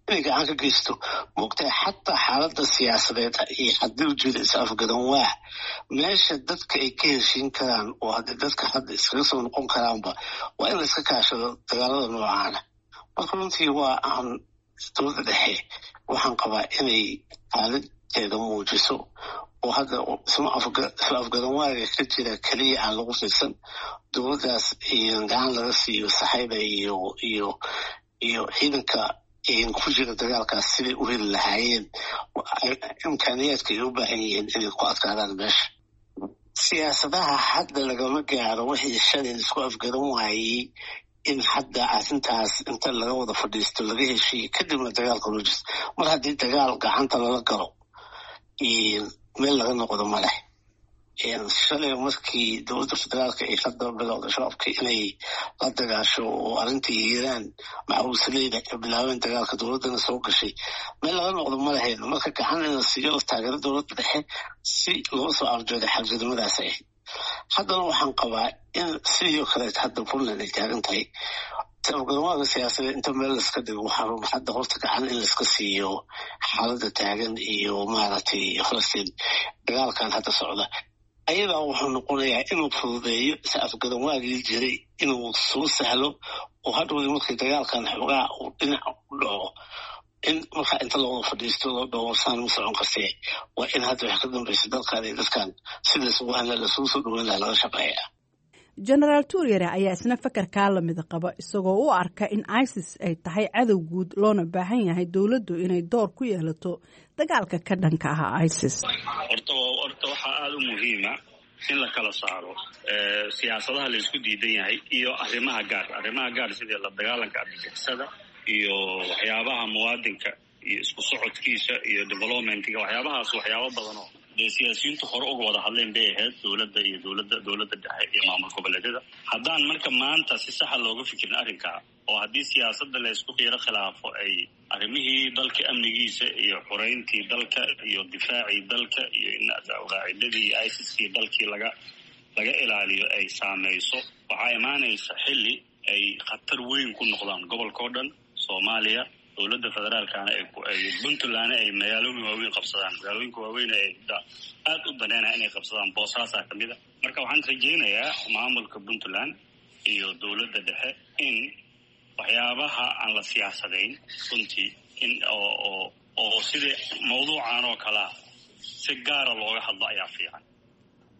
inay gacan ka geysto. Moogtahay, xataa xaaladda siyaasadeed iyo haddii ujeeda is afgaran waa meesha dadka ay ka heshiin karaan oo haddii dadka hadda iskaga soo noqon karaanba waa in la iska kaashado dagaalada noocaana. Marka runtii waa aan dowladda dhexe waxaan qabaa inay xaaladteeda muujiso oo hadda isma isla afgaran waaga ka jira keliya aan lagu fiirsan, dowladdaas gacan laga siiyo saxayda iyo iyo iyo ciidanka ku jira dagaalkaas siday u heli lahaayeen imkaaniyaadka ay u baahan yihiin inay ku adkaadaan meesha. Siyaasadaha hadda lagama gaaro wixii shalay isku afgaran waayey in hadda arrintaas inta laga wada fadhiisto laga heshiiyo, kadibna dagaalka loo jisto. Mar haddii dagaal gacanta lala galo, meel laga noqdo ma leh. Shalay markii dowladda federaalka ay hadda bilowda Shabaabka inay la dagaasho oo arrintii Hiiraan macawisleyda ay bilaabeen dagaalka, dowladdana soo gashay, meel laga noqdo ma lahayn. Marka gacan in la siiyo taageero dowladda dhexe si loo soo arjooday xagjidnimadaas ahayd. Haddana waxaan qabaa in sidii oo kaleeto hadda Puntland ay taagan tahay afgaranwaaga siyaasadeed inta meel laiska dhigo, waxaa hadda horta gacan in laiska siiyo xaaladda taagan iyo maaragtay Falastiin dagaalkan hadda socda ayadaa wuxuu noqonayaa inuu fududeeyo is afgaran waagii jiray, inuu soo sahlo oo hadhowdii markii dagaalkan xoogaa uu dhinac u dhaco in markaa inta loo wada fadhiisto loo dhawarsaan ma socon kartee, waa in hadda wax ka dambaysa dalkan iyo dadkan sida isugu hanla lasugu soo dhaweyn lahaa laga shaqeeya. Jenaraal Tuuryare ayaa isna fakarkaa lamid qaba, isagoo u arka in ISIS ay tahay cadow guud loona baahan yahay dowladdu inay door ku yeelato dagaalka ka dhanka ah ISIS. Horta horta waxaa aada u muhiima in la kala saaro siyaasadaha la isku diidan yahay iyo arrimaha gaar arrimaha gaar sidii la dagaalanka argagixisada iyo waxyaabaha muwaadinka iyo isku socodkiisa iyo developmentga, waxyaabahaas waxyaabo badan oo Dee siyaasiyiintu hore uga wada hadleen bay ahayd dowladda iyo dowladda dowladda dhexe iyo maamul goboleedyada. Haddaan marka maanta si saxa looga fikirin arrinkaa, oo haddii siyaasadda la isku qiiro khilaafo ay arrimihii dalka amnigiisa iyo xureyntii dalka iyo difaacii dalka iyo in alqaacidadii iyo ISIS-kii dalkii laga laga ilaaliyo ay saameyso, waxaa imaanaysa xilli ay khatar weyn ku noqdaan gobolka oo dhan Soomaaliya. Dowladda federaalkana ay Puntlandna ay magaalooyin waaweyn qabsadaan, magaalooyinka waaweyn ay aada u daneynaya inay qabsadaan, Boosaasaa ka mid a. Marka waxaan rajaynayaa maamulka Puntland iyo dowladda dhexe in waxyaabaha aan la siyaasadayn runtii, in oo oo oo sidii mawduucan oo kalea si gaara looga hadlo ayaa fiican,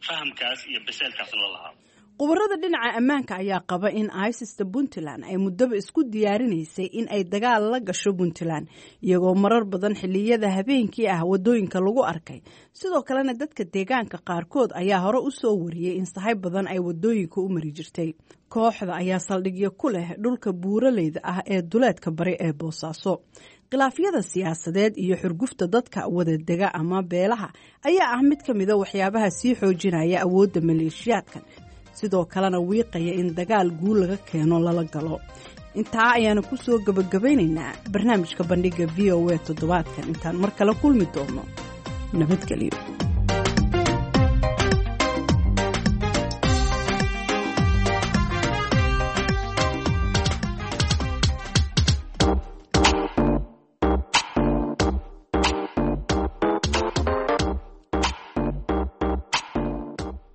fahamkaas iyo biseelkaasna la lahaado. Khubarada dhinaca ammaanka ayaa qaba in ISIS-ta Puntland ay muddaba isku diyaarinaysay in ay dagaal la gasho Puntland, iyagoo marar badan xilliyada habeenkii ah waddooyinka lagu arkay. Sidoo kalena dadka deegaanka qaarkood ayaa hore u soo wariyey in sahay badan ay waddooyinka u mari jirtay. Kooxda ayaa saldhigyo ku leh dhulka buuraleyda ah ee duleedka bari ee Boosaaso. Khilaafyada siyaasadeed iyo xurgufta dadka wadadega ama beelaha ayaa ah mid ka mida waxyaabaha sii xoojinaya awoodda maleeshiyaadkan, sidoo kalena wiiqaya in dagaal guul laga keeno lala galo. Intaa ayaanu ku soo gebagabaynaynaa barnaamijka Bandhigga V O A toddobaadkan. Intaan mar kale kulmi doono, nabadgelyo.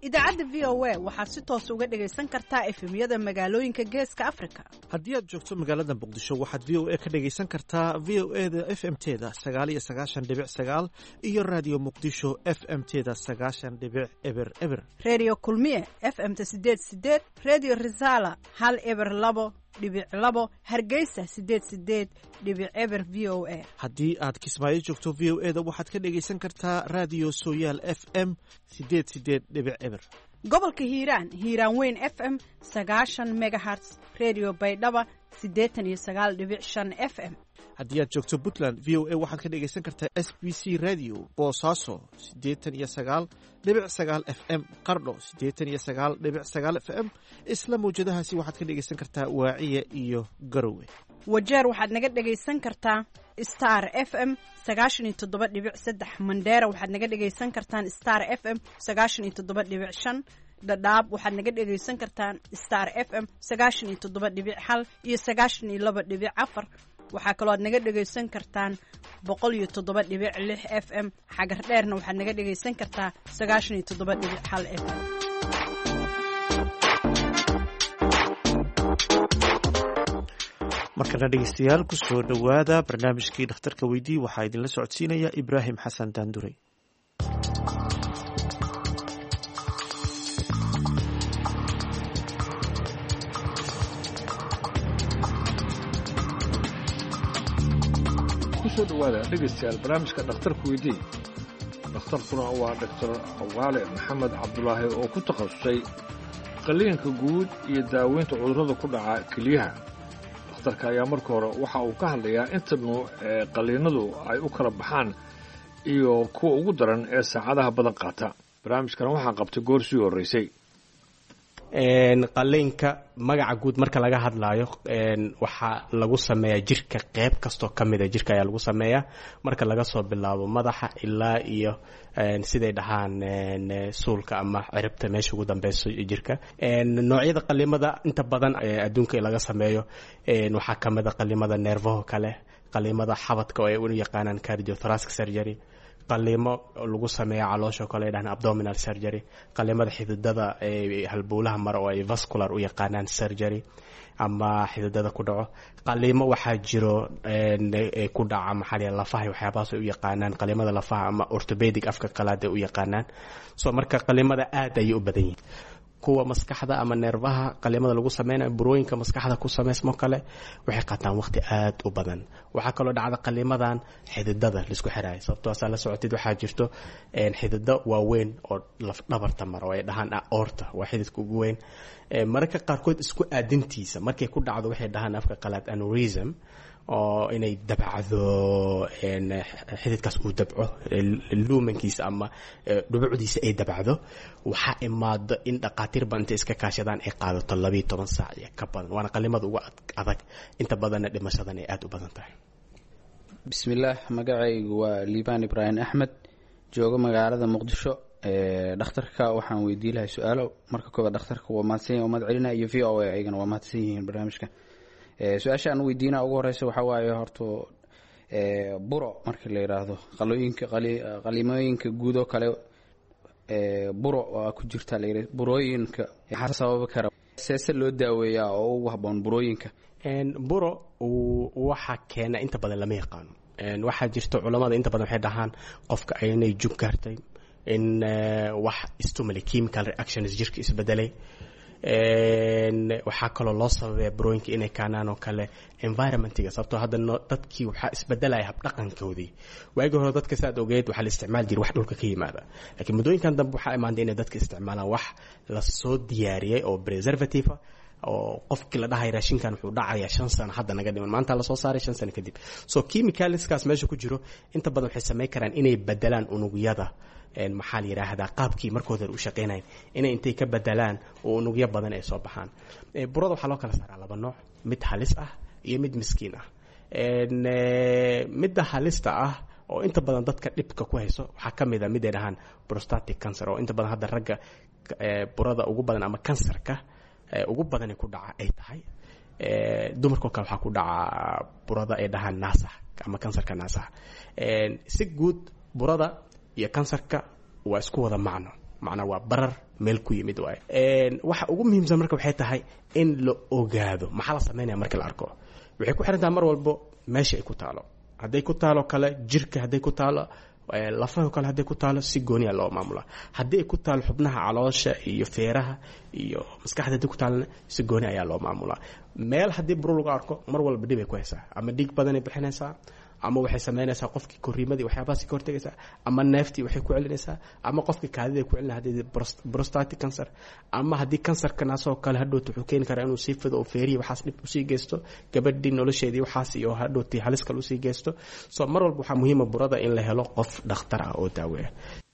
Idaacadda V O A waxaad si toos uga dhegaysan kartaa F M-yada magaalooyinka Geeska Afrika. Haddii aad joogto magaalada Muqdisho, waxaad V O A ka dhegaysan kartaa V O E da F M teda sagaal iyo sagaashan dhibic sagaal iyo Raadiyo Muqdisho F M teda sagaashan dhibic eber eber. Reediyo Kulmiye F M-ta sideed sideed, Reediyo Risaala hal eber labo dhibic labo, Hargeysa sideed sideed dhibic eber V O A. Haddii aad Kismaayo joogto, V O E da waxaad ka dhegaysan kartaa Raadiyo Sooyaal F M sideed sideed dhibic eber. Gobolka Hiiraan, Hiiraan Weyn F M sagaashan megahertz, Reediyo Baydhaba siddeetan iyo sagaal dhibic shan F M. Haddii aad joogto Puntland, V O A waxaad ka dhegaysan kartaa S B C Radio Boosaaso siddeetan iyo sagaal dhibic sagaal F M, Qardho siddeetan iyo sagaal dhibic sagaal F M. Isla mawjadahaasi waxaad ka dhegaysan kartaa Waaciya iyo Garowe. Wajeer waxaad naga dhegaysan kartaa Star F M sagaashan iyo toddoba dhibic saddex. Mandheera waxaad naga dhegaysan kartaan Star F M sagaashan iyo toddoba dhibic shan. Dhadhaab waxaad naga dhegaysan kartaan Star F M sagaashan iyo toddoba dhibic hal iyo sagaashan iyo laba dhibic afar. Waxaa kaloo aad naga dhegaysan kartaan boqol iyo toddoba dhibic lix F M. Xagar Dheerna waxaad naga dhegaysan kartaa sagaashan iyo toddoba dhibic hal F M. Markana dhegeystayaal, kusoo dhowaada barnaamijkii Dhakhtarka Weydii. Waxaa idinla socodsiinaya Ibraahim Xasan Daanduray. Kusoo dhowaada dhegaystayaal barnaamijka Dhakhtarka Weydii. Dhakhtarkuna waa Dhaktar Awaale Maxamed Cabdulaahi oo ku takhasusay qalliinka guud iyo daaweynta cudurrada ku dhaca keliyaha. Dhakhtarka ayaa marka hore waxa uu ka hadlayaa inta nuuc ee qalliinadu ay u kala baxaan iyo kuwa ugu daran ee saacadaha badan qaata. Barnaamijkan waxaa qabtay goor sii horreysay. Qalliinka magaca guud marka laga hadlaayo, waxaa lagu sameeyaa jirka qeyb kastoo ka mida jirka ayaa lagu sameeyaa, marka laga soo bilaabo madaxa ilaa iyo siday dhahaan suulka ama ciribta meesha ugu dambeyso jirka. Noocyada qalimada inta badan adduunka laga sameeyo waxaa ka mid a qalimada neerfaho kale, qalimada xabadka oo ay u yaqaanaan cardiothoracic surgery, qalimo lagu sameeya caloosha kale ay dhahaan abdominal surgery, qalimada xididada halbowlaha mara oo ay vascular u yaqaanaan surgery ama xididada ku dhaco, qalimo waxaa jiro ku dhaca maxaa la lafaha, waxyaabahaas ay u yaqaanaan qalimada lafaha ama orthopedic afka qalaad ay u yaqaanaan. So marka qalimada aad ayay u badan yihiin. Kuwa maskaxda ama neerfaha qalimada lagu sameynayo, burooyinka maskaxda ku sameysmo kale, waxay qaataan waqti aad u badan. Waxaa kaloo dhacda qalimadan xididada laisku xiraayo, sababtoo asaa la socotid waxaa jirto xidido waaweyn oo lafdhabarta mara oo ay dhahaan aorta, waa xididka ugu weyn. Mararka qaarkood isku aadintiisa markay ku dhacdo waxay dhahaan afka qalaad aneurysm. Oo inay dabacdo, xididkaas uu dabco, luumankiisa ama dhubucdiisa ay dabacdo. Waxaa imaado in dhaqaatiir badan intay iska kaashadaan ay qaadato labiiyo toban saac iyo ka badan, waana qalimada ugu adag, inta badanna dhimashadan ay aada u badan tahay. Bismillaah, magacaygu waa Liibaan Ibraahim Axmed, joogo magaalada Muqdisho. Dhakhtarka waxaan weydii lahay su-aalo. Marka koobaad, dhakhtarka waa mahadsan yahay, waa mahad celinaya, iyo V O A ayagana waa mahadsan yihiin barnaamijka. Su-aasha aan weydiina ugu horeysa waxaa waaye, horta buro marka la yiraahdo, qalooyinka, qalimooyinka guud oo kale buro waa ku jirta la yidhi, burooyinka maxaa sababi kara, seese loo daaweeyaa oo ugu habboon burooyinka? Buro waxa keena inta badan lama yaqaano. Waxaa jirta culamada inta badan waxay dhahaan qofka inay jug gaartay, in wax stimuli, chemical reactions jirka isbedelay. Waxaa kaloo loo sababaya burooyinka inay kaanaan oo kale environmentiga, sababtoo hadda dadkii waxaa isbedelaya habdhaqankoodii. Waagii hore dadka, saad ogeed, waxaa la isticmaali jiray wax dhulka ka yimaada, laakiin muddooyinkan dambe waxaa imaanday inay dadka isticmaalaan wax lasoo diyaariyey oo preservative, oo qofkii la dhahay raashinkan wuxuu dhacayaa shan sano hadda naga dhiman, maanta lasoo saaray, shan sano kadib. So chemicalskaas meesha ku jiro inta badan waxay samayn karaan inay bedelaan unugyada, maxaa la yidhaahdaa, qaabkii markooda u shaqeynayan inay intay ka bedelaan oo unugyo badan ay soo baxaan. Burada waxaa loo kala saaraa laba nooc, mid halis ah iyo mid miskiin ah. Midda halista ah oo inta badan dadka dhibka ku hayso waxaa ka mid a mid ay dhahaan prostatic cancer, oo inta badan hadda ragga burada ugu badan ama kansarka ugu badani ku dhaca ay tahay. Dumarkao kale waxaa ku dhaca burada ay dhahaan naasaha ama kansarka naasaha. Si guud burada iyo kansarka waa isku wada macno, macnaa waa barar meel ku yimid waay. Waxa ugu muhiimsan marka waxay tahay in la ogaado maxaa la sameynaya marka la arko. Waxay ku xiran tahay mar walbo meesha ay ku taalo. Hadday ku taalo kale jirka, hadday ku taalo lafaha kale, hadday ku taalo si gooniya loo maamula. Haddii ay ku taalo xubnaha caloosha iyo feeraha iyo maskaxda hadday ku taalona, si gooni ayaa loo maamulaa. Meel haddii buro lagu arko, mar walba dhib ay ku haysaa, ama dhiig badanay bixinaysaa, ama waxay sameynaysaa qofkii koriimadii waxyaabahaasi ka hortagaysaa, ama neeftii waxay ku celinaysaa, ama qofkii kaadida ku celina haddii prostatic cancer, ama haddii kansarka naasoo kale hadhowta wuxuu keeni karaa inuu sii fido oo feerihi waxaas dhib usii geysto, gabadhii nolosheedii waxaas iyo hadhowtii halis kale usii geysto. So mar walba waxaa muhiima burada in la helo qof dhakhtar ah oo daaweeya.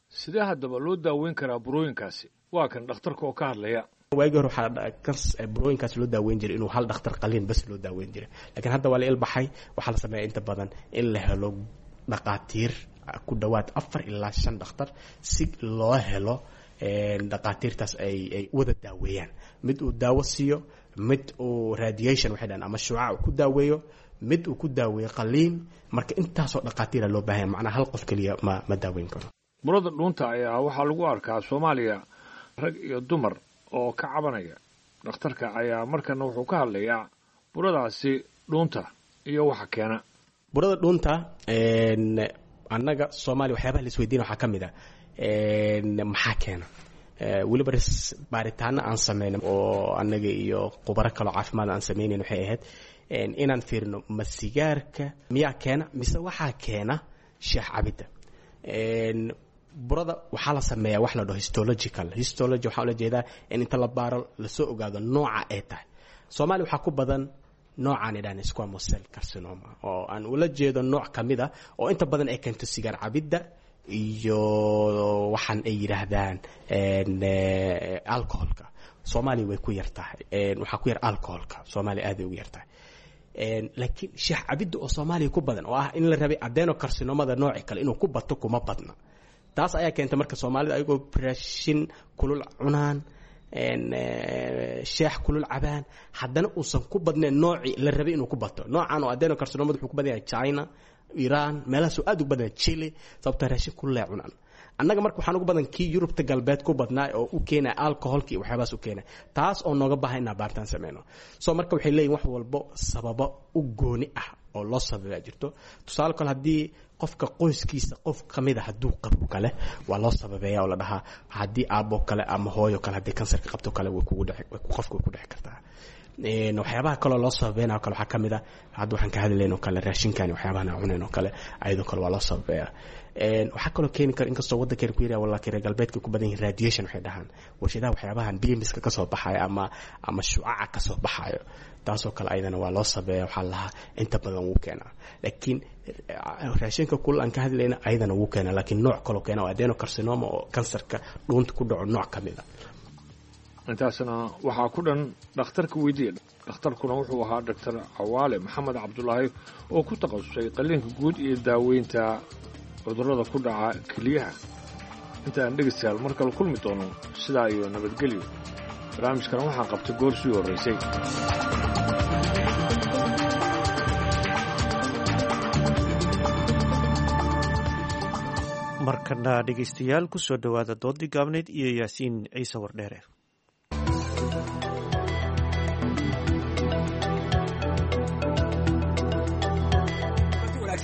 Sidee haddaba loo daaweyn karaa burooyinkaasi? Waa kan dhakhtarka oo ka hadlaya. Waagii hore waxaa burooyinkaas loo daaweyn jiray inuu hal dhakhtar qaliin bas loo daaweyn jiray, laakiin hadda waa la ilbaxay. Waxaa la sameeya inta badan in la helo dhaqaatiir ku dhowaad afar ilaa shan dhakhtar, si loo helo dhaqaatiirtaas ay ay wada daaweeyaan, mid uu daawo siiyo, mid uu radiation waxay dhahan ama shucaac uu ku daaweeyo, mid uu ku daaweeyo qaliin. Marka intaasoo dhaqaatiira loo baahanya, macnaa hal qof keliya ma ma daaweyn karo. Burada dhuunta ayaa waxaa lagu arkaa Soomaaliya rag iyo dumar oo ka cabanaya. Dhakhtarka ayaa markana wuxuu ka hadlayaa buradaasi dhuunta iyo waxa keena. Burada dhuunta annaga Soomaaliya waxyaabaha la isweydiina waxaa ka mid a maxaa keena. Weliba baaritaano aan sameyna oo annaga iyo khubaro kaloo caafimaad aan sameynayn waxay ahayd inaan fiirino ma sigaarka miyaa keena mise waxaa keena shaah cabidda. Burada waxaa la sameeyaa wax la dhaho histological. Histology waxaa ula jeedaa in inta la baaro lasoo ogaado nooca ay tahay. Soomaaliya waxaa ku badan noocaan idhahan squamous cell carcinoma, oo aan ula jeedo nooc ka mid a oo inta badan ay keento sigaar cabidda iyo waxaan ay yidhaahdaan alcoholka. Soomaaliya way ku yar tahay, waxaa ku yar alcoholka, Soomaaliya aad ay ugu yar tahay, laakiin shaah cabidda oo Soomaaliya ku badan, oo ah in la rabay adenocarcinomada nooci kale inuu ku bato, kuma badna. Taas ayaa keentay marka Soomaalida ayagoo raashin kulul cunaan, sheex kulul cabaan, haddana uusan ku badnayn noocii la rabay inuu ku bato. Noocan oo adenocarcinomada wuxuu ku badan yahay China, Iran, meelahaasuu aad ugu badan yahay, Chile, sababtoo raashin kulul ay cunaan. Annaga marka waxaan ugu badan kii Yurubta galbeed ku badnaa oo u keenaya alcoholka iyo waxyaabahaas u keenaya, taas oo nooga baahan inaan baaritaan sameyno. So marka waxay leeyihin wax walbo sababo u gooni ah oo loo sababaa jirto. Tusaale kale, haddii qofka qoyskiisa qof kamid a hadduu qabo kale, waa loo sababeeya oo la dhahaa haddii aabbo kale ama hooyo kale haddii kansarka qabto kale, way kugu dhici, qofka way ku dhici kartaa. Waxyaabaha kaloo loo sababeynao kale waxaa ka mid a hadda waxaan ka hadlayn oo kale raashinkan waxyaabahan aan cunayn oo kale, ayadoo kale waa loo sababeeyaa. Waxaa kaloo keeni kara, inkastoo waddankeena ku yaryaa, laakiin reer galbeedka ku badan yihin, radiation waxay dhahaan warshadaha, waxyaabahan bimiska kasoo baxayo ama ama shucaca kasoo baxayo, taasoo kale ayadana waa loo sabeeya. Waxaa lahaa inta badan wuu keenaa, laakiin raashinka kulul aan ka hadlayna ayadana wuu keenaa, laakiin nooc kaloo keena oo adenocarcinoma oo kansarka dhuunta ku dhaco nooc ka mid a. Intaasna waxaa ku dhan dhakhtarka weydiiya. Dhakhtarkuna wuxuu ahaa Doctor Cawaale Maxamed Cabdulaahi oo ku takhasusay qalliinka guud iyo daaweynta cudurrada ku dhaca keliyaha. Intaan dhegaystayaal mar kale kulmi doono, sidaa iyo nabadgelyo. Barnaamijkan waxaa qabtay goor sii horraysay. Markana dhegaystayaal, ku soo dhowaada doodii gaabneyd iyo Yaasiin Ciise Wardheere.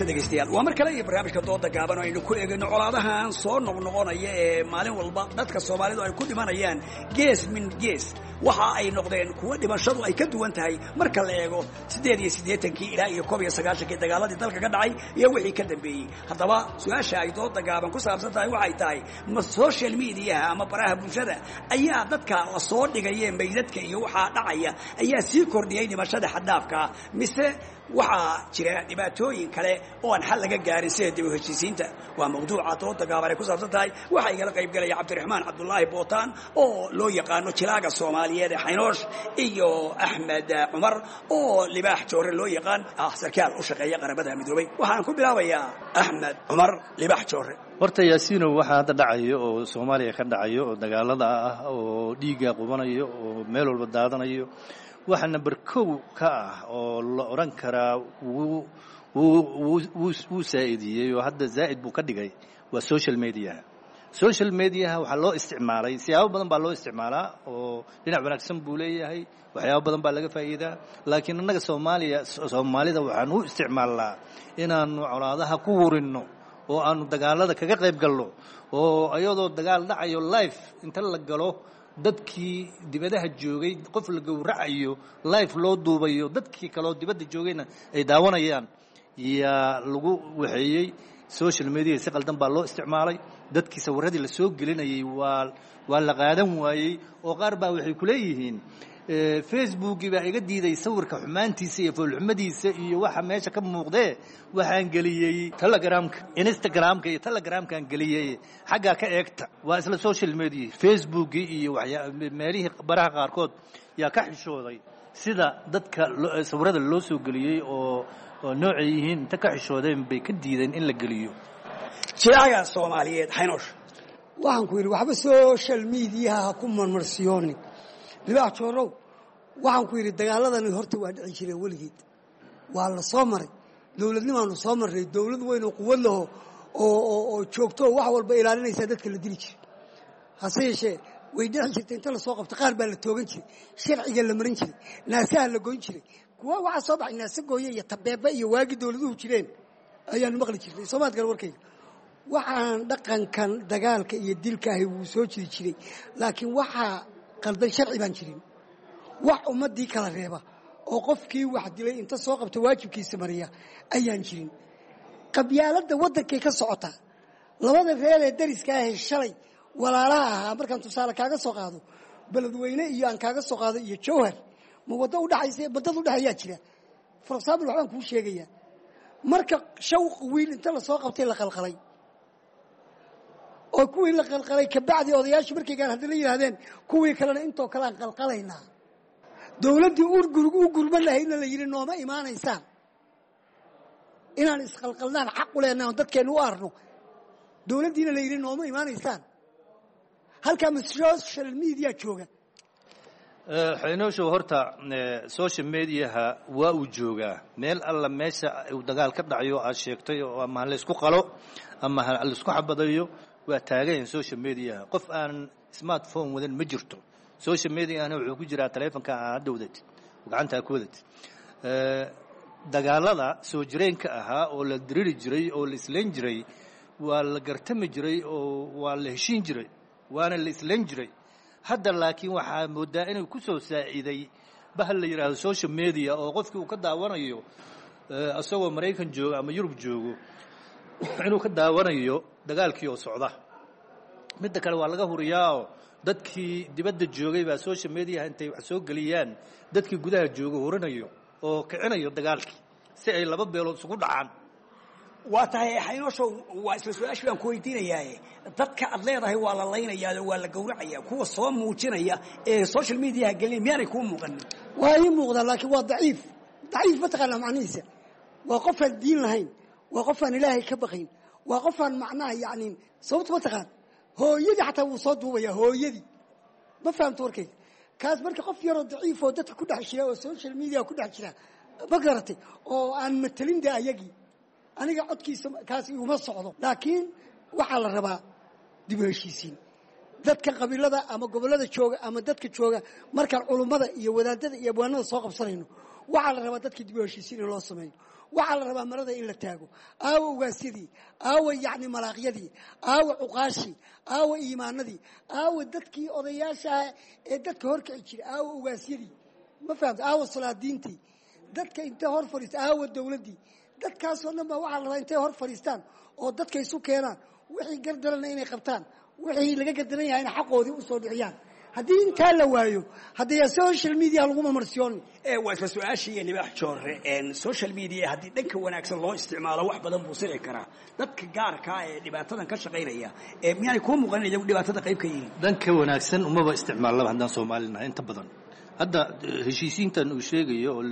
Degeystayaal, waa mar kale iyo barnaamijka dooda gaaban oo aynu ku eegayno colaadahan soo noqnoqonaya ee maalin walba dadka Soomaalidu ay ku dhimanayaan gees min gees. Waxa ay noqdeen kuwa dhimashadu ay ka duwan tahay marka la eego siddeed iyo siddeetankii ilaa iyo koob iyo sagaashankii dagaaladii dalka ka dhacay iyo wixii ka dambeeyey. Haddaba su-aasha ay dooda gaaban ku saabsan tahay waxay tahay, ma social mediaha ama baraha bulshada ayaa dadka la soo dhigaya meydadka iyo waxaa dhacaya ayaa sii kordhiyey dhimashada xaddaafkaa, mise waxaa jira dhibaatooyin kale oo aan xal laga gaarin sida dib u heshiisiinta? Waa mawduuca dooda gaaban ay ku saabsan tahay. Waxaa igala qayb galaya Cabdiraxmaan Cabdulaahi Bootaan oo loo yaqaano jilaaga Soomaaliyeed ee Xaynoosh, iyo Axmed Cumar oo Libaax Joore loo yaqaan, ah sarkaal u shaqeeya Qaramada Midoobay. Waxaan ku bilaabayaa Axmed Cumar Libaax Joore. Horta Yaasiinow, waxaa hadda dhacayo oo Soomaaliya ka dhacayo oo dagaalada ah oo dhiigga qubanayo oo meel walba daadanayo, waxa number kow ka ah oo la odhan karaa wuu wuu saa'idiyey oo hadda zaa'id buu ka dhigay waa social mediaha. Social mediaha waxaa loo isticmaalay siyaabo badan baa loo isticmaalaa oo dhinac wanaagsan buu leeyahay, waxyaabo badan baa laga faa'iidaa, laakiin annaga Soomaaliya, Soomaalida waxaan u isticmaalnaa inaanu colaadaha ku wurinno oo aanu dagaalada kaga qayb galno, oo ayadoo dagaal dhacayo life inta la galo, dadkii dibadaha joogay qof la gowracayo life loo duubayo, dadkii kaloo dibadda joogayna ay daawanayaan yaa lagu waxeeyey. Social media si qaldan baa loo isticmaalay. Dadkii sawiradii la soo gelinayay waa waa la qaadan waayey, oo qaar baa waxay ku leeyihiin Facebookii baa iga diiday sawirka xumaantiisa iyo foolxumadiisa iyo waxa meesha ka muuqdee, waxaan geliyey Telegramka, Instagramka iyo Telegramkaan geliyey, xaggaa ka eegta. Waa isla social media Facebookii iyo waxyaa meelihii baraha qaarkood yaa ka xishooday sida dadka sawirada loo soo geliyey oo oo noocay yihiin, inta ka xishoodeen bay ka diideen in la geliyo. Jilaaga Soomaaliyeed Xaynoosh. Waxaan ku yidhi, waxba social mediaha ha ku marmarsiyoonin, Libaax Joorow. Waxaan ku yidhi, dagaaladani horta waa dhici jireen weligeed, waa la soo maray, dowladnimaanu soo marray, dowlad weyn oo quwad laho oo oo joogto oo wax walba ilaalinaysaa dadka la dili jiray. Hase yeeshee way dhici jirtay, inta lasoo qabto qaar baa la toogan jiray, sharciga la marin jiray, naasaha la goyn jiray. Kuwa waxaa soo baxay naase gooye iyo tabeeba iyo waagii dowladuhu jireen ayaanu maqli jirnay. Soomaad gal warkayga, waxaan dhaqankan dagaalka iyo dilka ahi wuu soo jiri jiray, laakiin waxaa qaldan sharci baan jirin wax ummaddii kala reeba oo qofkii wax dilay inta soo qabta waajibkiisa mariya ayaan jirin. Qabyaaladda waddankay ka socotaa, labada reer ee dariska ahee shalay walaalaha ahaa, markaan tusaale kaaga soo qaado Beledweyne iyo aan kaaga soo qaado iyo Jowhar, ma waddo udhaxaysa waddada udhexeeyaa jira? For example, waxbaan kuu sheegayaa, marka shawq wiil inta lasoo qabtay la qalqalay oo kuwii la qalqalay kabacdi odayaashii markay gaan haddana yidhahdeen kuwii kalena intoo kale aan qalqalaynaa, dowladdii u gurman lahaydna la yidhi nooma imaanaysaan, inaan isqalqalnaan xaq u leenahay oon dadkeennu u arno, dowladdiina la yidhi nooma imaanaysaan. Halkaa ma social media jooga? Xaynooshow, horta social mediaha waa uu joogaa meel alla meesha uu dagaal ka dhacayo aad sheegtay, oo ama ha laysku qalo ama ha laisku xabadayo, waa taagayan social mediaha. Qof aan smartphone wadan ma jirto. Social mediahana wuxuu ku jiraa taleefonka aa hadda wadatid, gacantaa ku wadatid. Dagaalada soo jireenka ahaa oo la diriri jiray oo la islayn jiray, waa la gartami jiray oo waa la heshiin jiray, waana la islayn jiray. Hadda laakiin waxaa moodaa inuu ku soo saaciday Bahal la yidhaahdo social media oo qofkii uu ka daawanayo isagoo Maraykan joogo ama Yurub joogo inuu ka daawanayo dagaalkii oo socda. Midda kale waa laga huriyaao dadkii dibadda joogay baa social media intay wax soo geliyaan dadkii gudaha jooga hurinayo oo kicinayo dagaalkii si ay laba beelood isugu dhacaan. Waa tahay Xaynooshow, waa isla su-aashii baan ku weydiinayaaye, dadka aad leedahay waa la laynayaa oo waa la gowracaya, kuwa soo muujinaya ee social mediaha gelinaya miyaanay kuu muuqanin? Waa ii muuqdaa, laakiin waa daciif. Daciif ma taqaanaa macnihiisa? Waa qofaan diin lahayn, waa qofaan Ilaahay ka baqayn, waa qofaan macnaha yacni sababta ma taqaan hooyadii xataa wuu soo duubayaa hooyadii. Ma fahamto warkayga kaas? Marka qof yaroo daciif oo dadka ku dhex jira oo social media ku dhex jira, ma garatay, oo aan matelin de ayagii, aniga codkiisa kaas iguma socdo. Laakiin waxaa la rabaa dib u heshiisiin dadka qabiilada ama gobollada jooga ama dadka jooga. Markaan culummada iyo wadaadada iyo abwaanada soo qabsanayno, waxaa la rabaa dadka dib u heshiisiin in loo sameeyo. Waxaa la rabaa marada in la taago. Aawa ugaasyadii, aawa yacni malaaqyadii, aawa cuqaashii, aawa iimaanadii, aawa dadkii odayaashaah ee dadka horkici jiray, aawa ugaasyadii, ma fahamta, aawa salaadiintii, dadka intay hor fadhiista, aawa dowladdii. Dadkaasoo dhan baa waxaa la rabaa intay hor fadhiistaan oo dadka isu keenaan, wixii gardarana inay qabtaan, wixii laga gardaran yahayna xaqoodii usoo dhiciyaan. Haddii intaa la waayo, haddii social media lagu marmarsiyoon. Waa isla su-aashii Libaax Joore. Social media haddii dhanka wanaagsan loo isticmaalo wax badan buu sixi karaa. Dadka gaarkaa ee dhibaatadan ka shaqaynaya ee miyaanay kuu muuqanin iyagu dhibaatada qayb ka yihiin? Dhanka wanaagsan umaba isticmaalaba haddaan Soomaalinahay inta badan. Hadda heshiisiintan uu sheegayo oo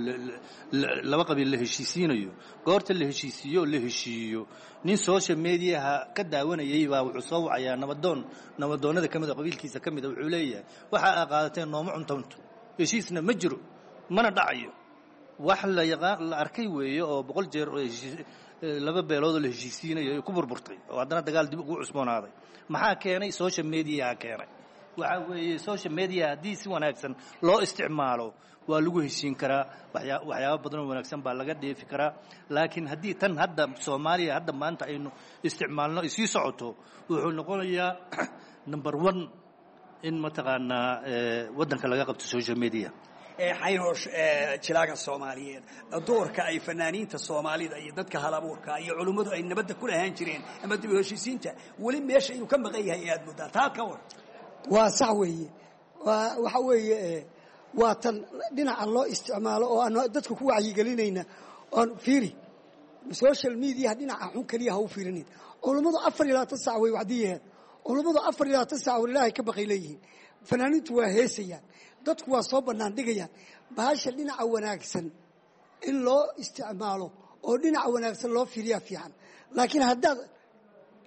laba qabiil la heshiisiinayo, goorta la heshiisiiyo oo la heshiiyo, nin social mediaha ka daawanayay baa wuxuu soo wacayaa nabadoon nabadoonnada ka mid oo qabiilkiisa ka mid a, wuxuu leeyahay waxa aa qaadateen nooma cuntoonto, heshiisna ma jiro mana dhacayo. Wax la yaqaan la arkay weeye oo boqol jeer oo heshiis laba beelood oo la heshiisiinayo ay ku burburtay oo haddana dagaal dib ugu cusboonaaday. Maxaa keenay? Social mediaha keenay. Waxaa weeye social media haddii si wanaagsan loo isticmaalo waa lagu heshiin karaa, waxyaa waxyaabo badan oo wanaagsan baa laga dheefi karaa. Laakiin haddii tan hadda Soomaaliya hadda maanta aynu isticmaalno ay sii socoto, wuxuu noqonayaa number one in mataqaanaa waddanka laga qabto social media. Xaynoosh, jilaaga Soomaaliyeed, doorka ay fanaaniinta Soomaalida iyo dadka halabuurka iyo culummadu ay nabadda ku lahaan jireen ama dib u heshiisiinta weli meesha inuu ka maqan yahay aad muddaa, taa ka war. Waa sax weeye. Waxa weeye waa tan dhinaca loo isticmaalo oo aan dadka ku wacyigelinayna oon fiiri social media dhinaca xun keliya ha u fiirinin. Culummadu afar iyo labaatan sac way wacdiyaheen, culummadu afar iyo labaatan sac war Ilaahay ka baqay leeyihiin, fanaaniintu waa heesayaan, dadku waa soo bannaan dhigayaan. Bahasha dhinaca wanaagsan in loo isticmaalo oo dhinaca wanaagsan loo fiiriyaa fiican. Laakiin haddaad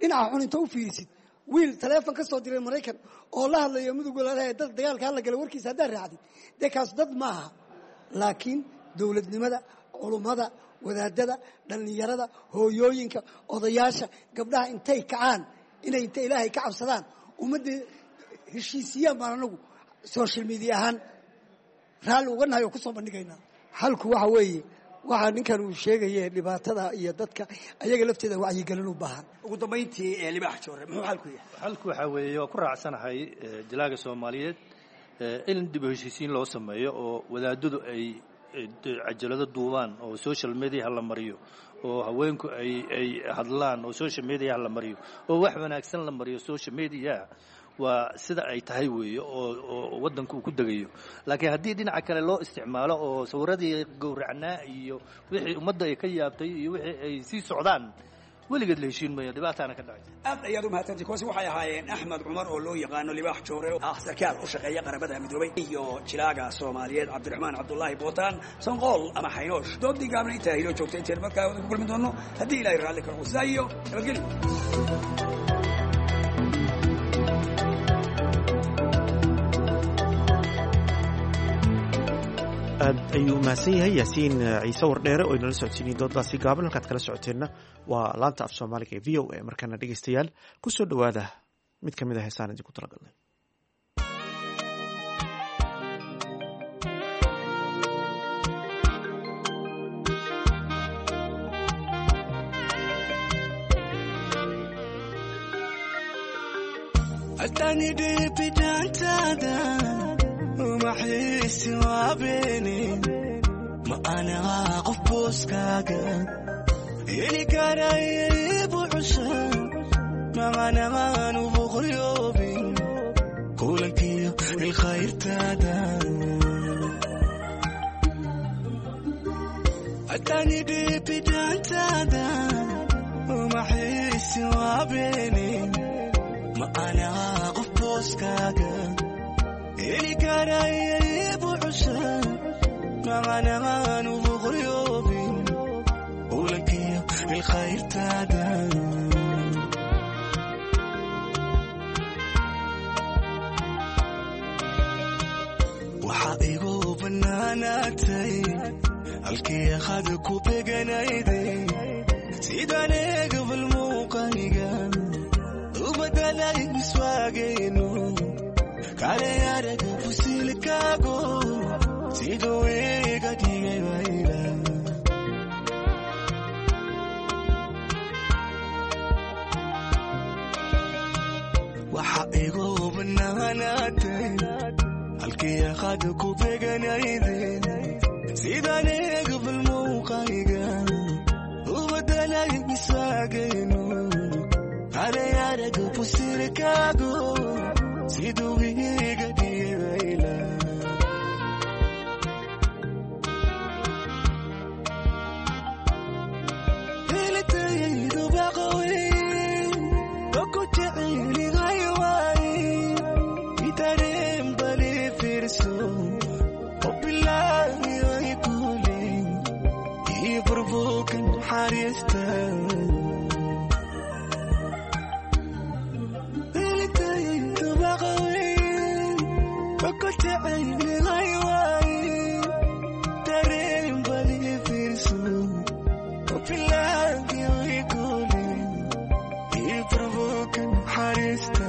dhinaca xun inta u fiirisid, wiil taleefon ka soo diray Maraykan oo la hadlayo Mudug walaalaha dad dagaalka hala gala warkiisa haddaad raacdid, dee kaas dad maaha. Laakiin dowladnimada, culummada, wadaadada, dhallinyarada, hooyooyinka, odayaasha, gabdhaha intay kacaan inay inta Ilaahay ka cabsadaan ummadda heshiisiyaan baan anagu social media ahaan raalli uga nahay oo ku soo bandhigaynaa. Xalku waxa weeye waxaa ninkan uu sheegaye dhibaatada iyo dadka ayaga lafteeda wacyigelin u baahan. Ugu dambayntii Libaax Joore, muxuu xalku yahay? Xalku waxaa weeye waa ku raacsanahay jilaaga Soomaaliyeed in dib u heshiisiin loo sameeyo oo wadaadadu ay cajalado duubaan oo social media la mariyo, oo haweenku ay ay hadlaan oo social media la mariyo, oo wax wanaagsan la mariyo social media. Waa sida ay tahay weeye oo oo waddanku uu ku degayo. Laakiin haddii dhinaca kale loo isticmaalo oo sawiradii gowracnaa iyo wixii ummadda ay ka yaabtay iyo wixii ay sii socdaan, weligeed la heshiin maayo, dhibaataana ka dhacay. Aad ayaad u mahadsantii. Kuwaasi waxay ahaayeen Axmed Cumar oo loo yaqaano Libaax Joore, ah sarkaal u shaqeeya Qaramada Midoobay, iyo jilaaga Soomaaliyeed Cabdiraxmaan Cabdulaahi Bootaan Sanqool ama Xaynoosh. Doodii gaabna intaa inoo joogta, inteen markaa wada ku kulmi doono haddii Ilaahay raalli ka noqdo, sidaa iyo nabadgelyo. Aad ayuu umahadsan yahay Yaasiin Ciise Wardheere oo inala socodsiinay doodaasi gaaban. Halkaad kala socoteenna waa laanta af Soomaaliga ee V O A. Markaana dhegeystayaal ku soo dhowaada mid ka mid a heesaan idinku talagalnay. Umaxiisi waa beeni ma anagaa qof booskaaga heli karaya ibuxusha macanaan uboqoryoobin kulankiyo ilkhayrtaada atani dhibidaantaada umaxiisi waa beeni ma anagaa qof booskaaga heli karaya ibuxusha macanaan uboqoryoobin kulankiyo ilkhayrtaada waxaa igu bannaanaatay halkii qad ku beganayday sidaan eegabal muuqayga u badalay miswaagaynu kale araga fusilkaago siduu iga dhigay wayla waxa igu bannaanaatay halkii qad ku beganayday sidaan eegabal muuqayga u badalay miswaagaynu kale araga fusilkaago siduu iga dhigay wayla helitaydu baqaweyn oku jecelihay waay itareen bali fiirso oo bilaahi ay kuulin ii burbuuka naxariista helitaydu baqaweyn oku jecelihay waay tareen bali fiirso oo bilaahi ay kuulin ii burbuuka naxariista.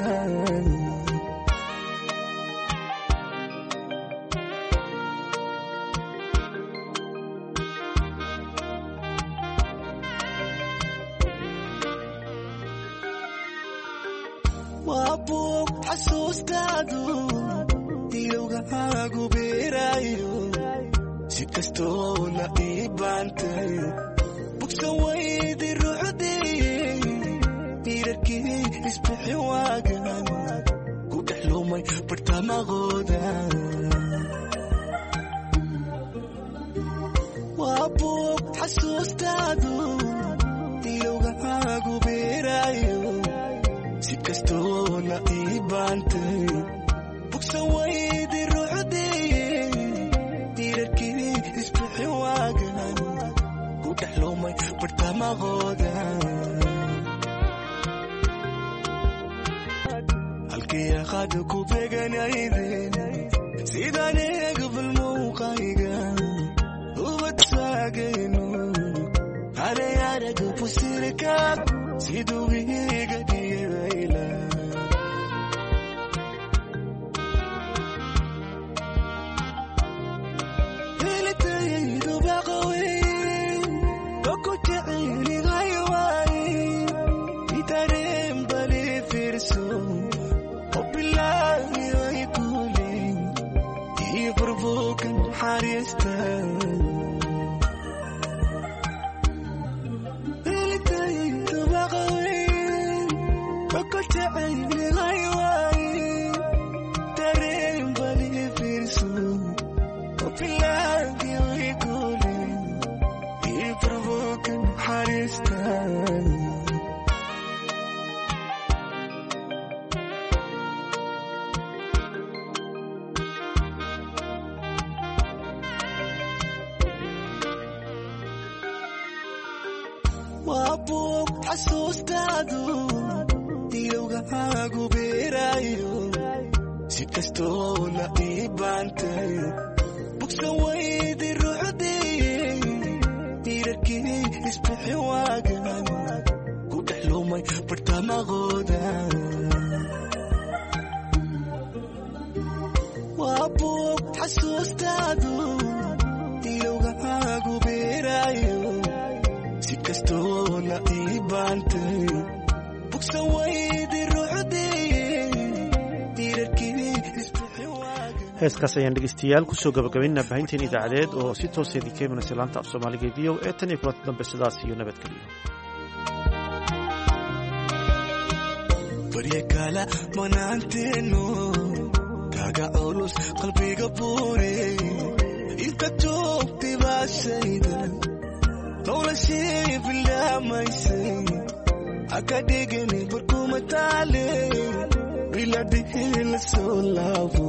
Waa buug xasuustaadu ilowgaagu beerayo si kastoo la ii baantay bugsan waydi ruuxdii dhiirarkii isbixi waagan ku dhex lumay bartamaqooda. Waa buug xasuustaadu ilowgaagu beerayo si kastoo la ii baantay bugsan waydi ruuxdii dhiirarkii isbixi waagan ku dhex lumay bartamaqooda. Halkii qad ku beganayden sidaan eegabal muuqayga ubadsaagaynu kale araga fusirkaag siduu iga dhigay wayla. Helitaydu baqaweyn oku jecelihay waay itareen bali fiirso oo bilaahi ay kuulin ii burbuuka naxariista. Helitaydu baqaweyn oku jecelihay waay tareen bali fiirso oo bilaahi ay kuulin ii burbuuka naxariista. Waa buug xasuustaadu ilowgaagu beerayo si kastoo la ii baantay bugsan waydi ruuxdii dhiirarkii isbixi waagan ku dhex lumay bartamaqooda. Waa buug xasuustaadu ilowgaagu beerayo si kastoo la ii baantay bugsan waydi ruuxdii dhiirarkii isbixi waagan. Heeskaas ayaan dhegeystayaal kusoo gabagabaynaa baahinteen idaacadeed oo si tooseedii ka imanaysa laanta af Soomaaliga ee V O A. Tan iyo kulanta dambe, sidaas iyo nabadgeliyo. Barya kala manaanteenu kaga culus qalbiga buure inta joogtay baashayda noloshii bilaamaysay haka dhigani barkuma taale biladhihi la soo laabo.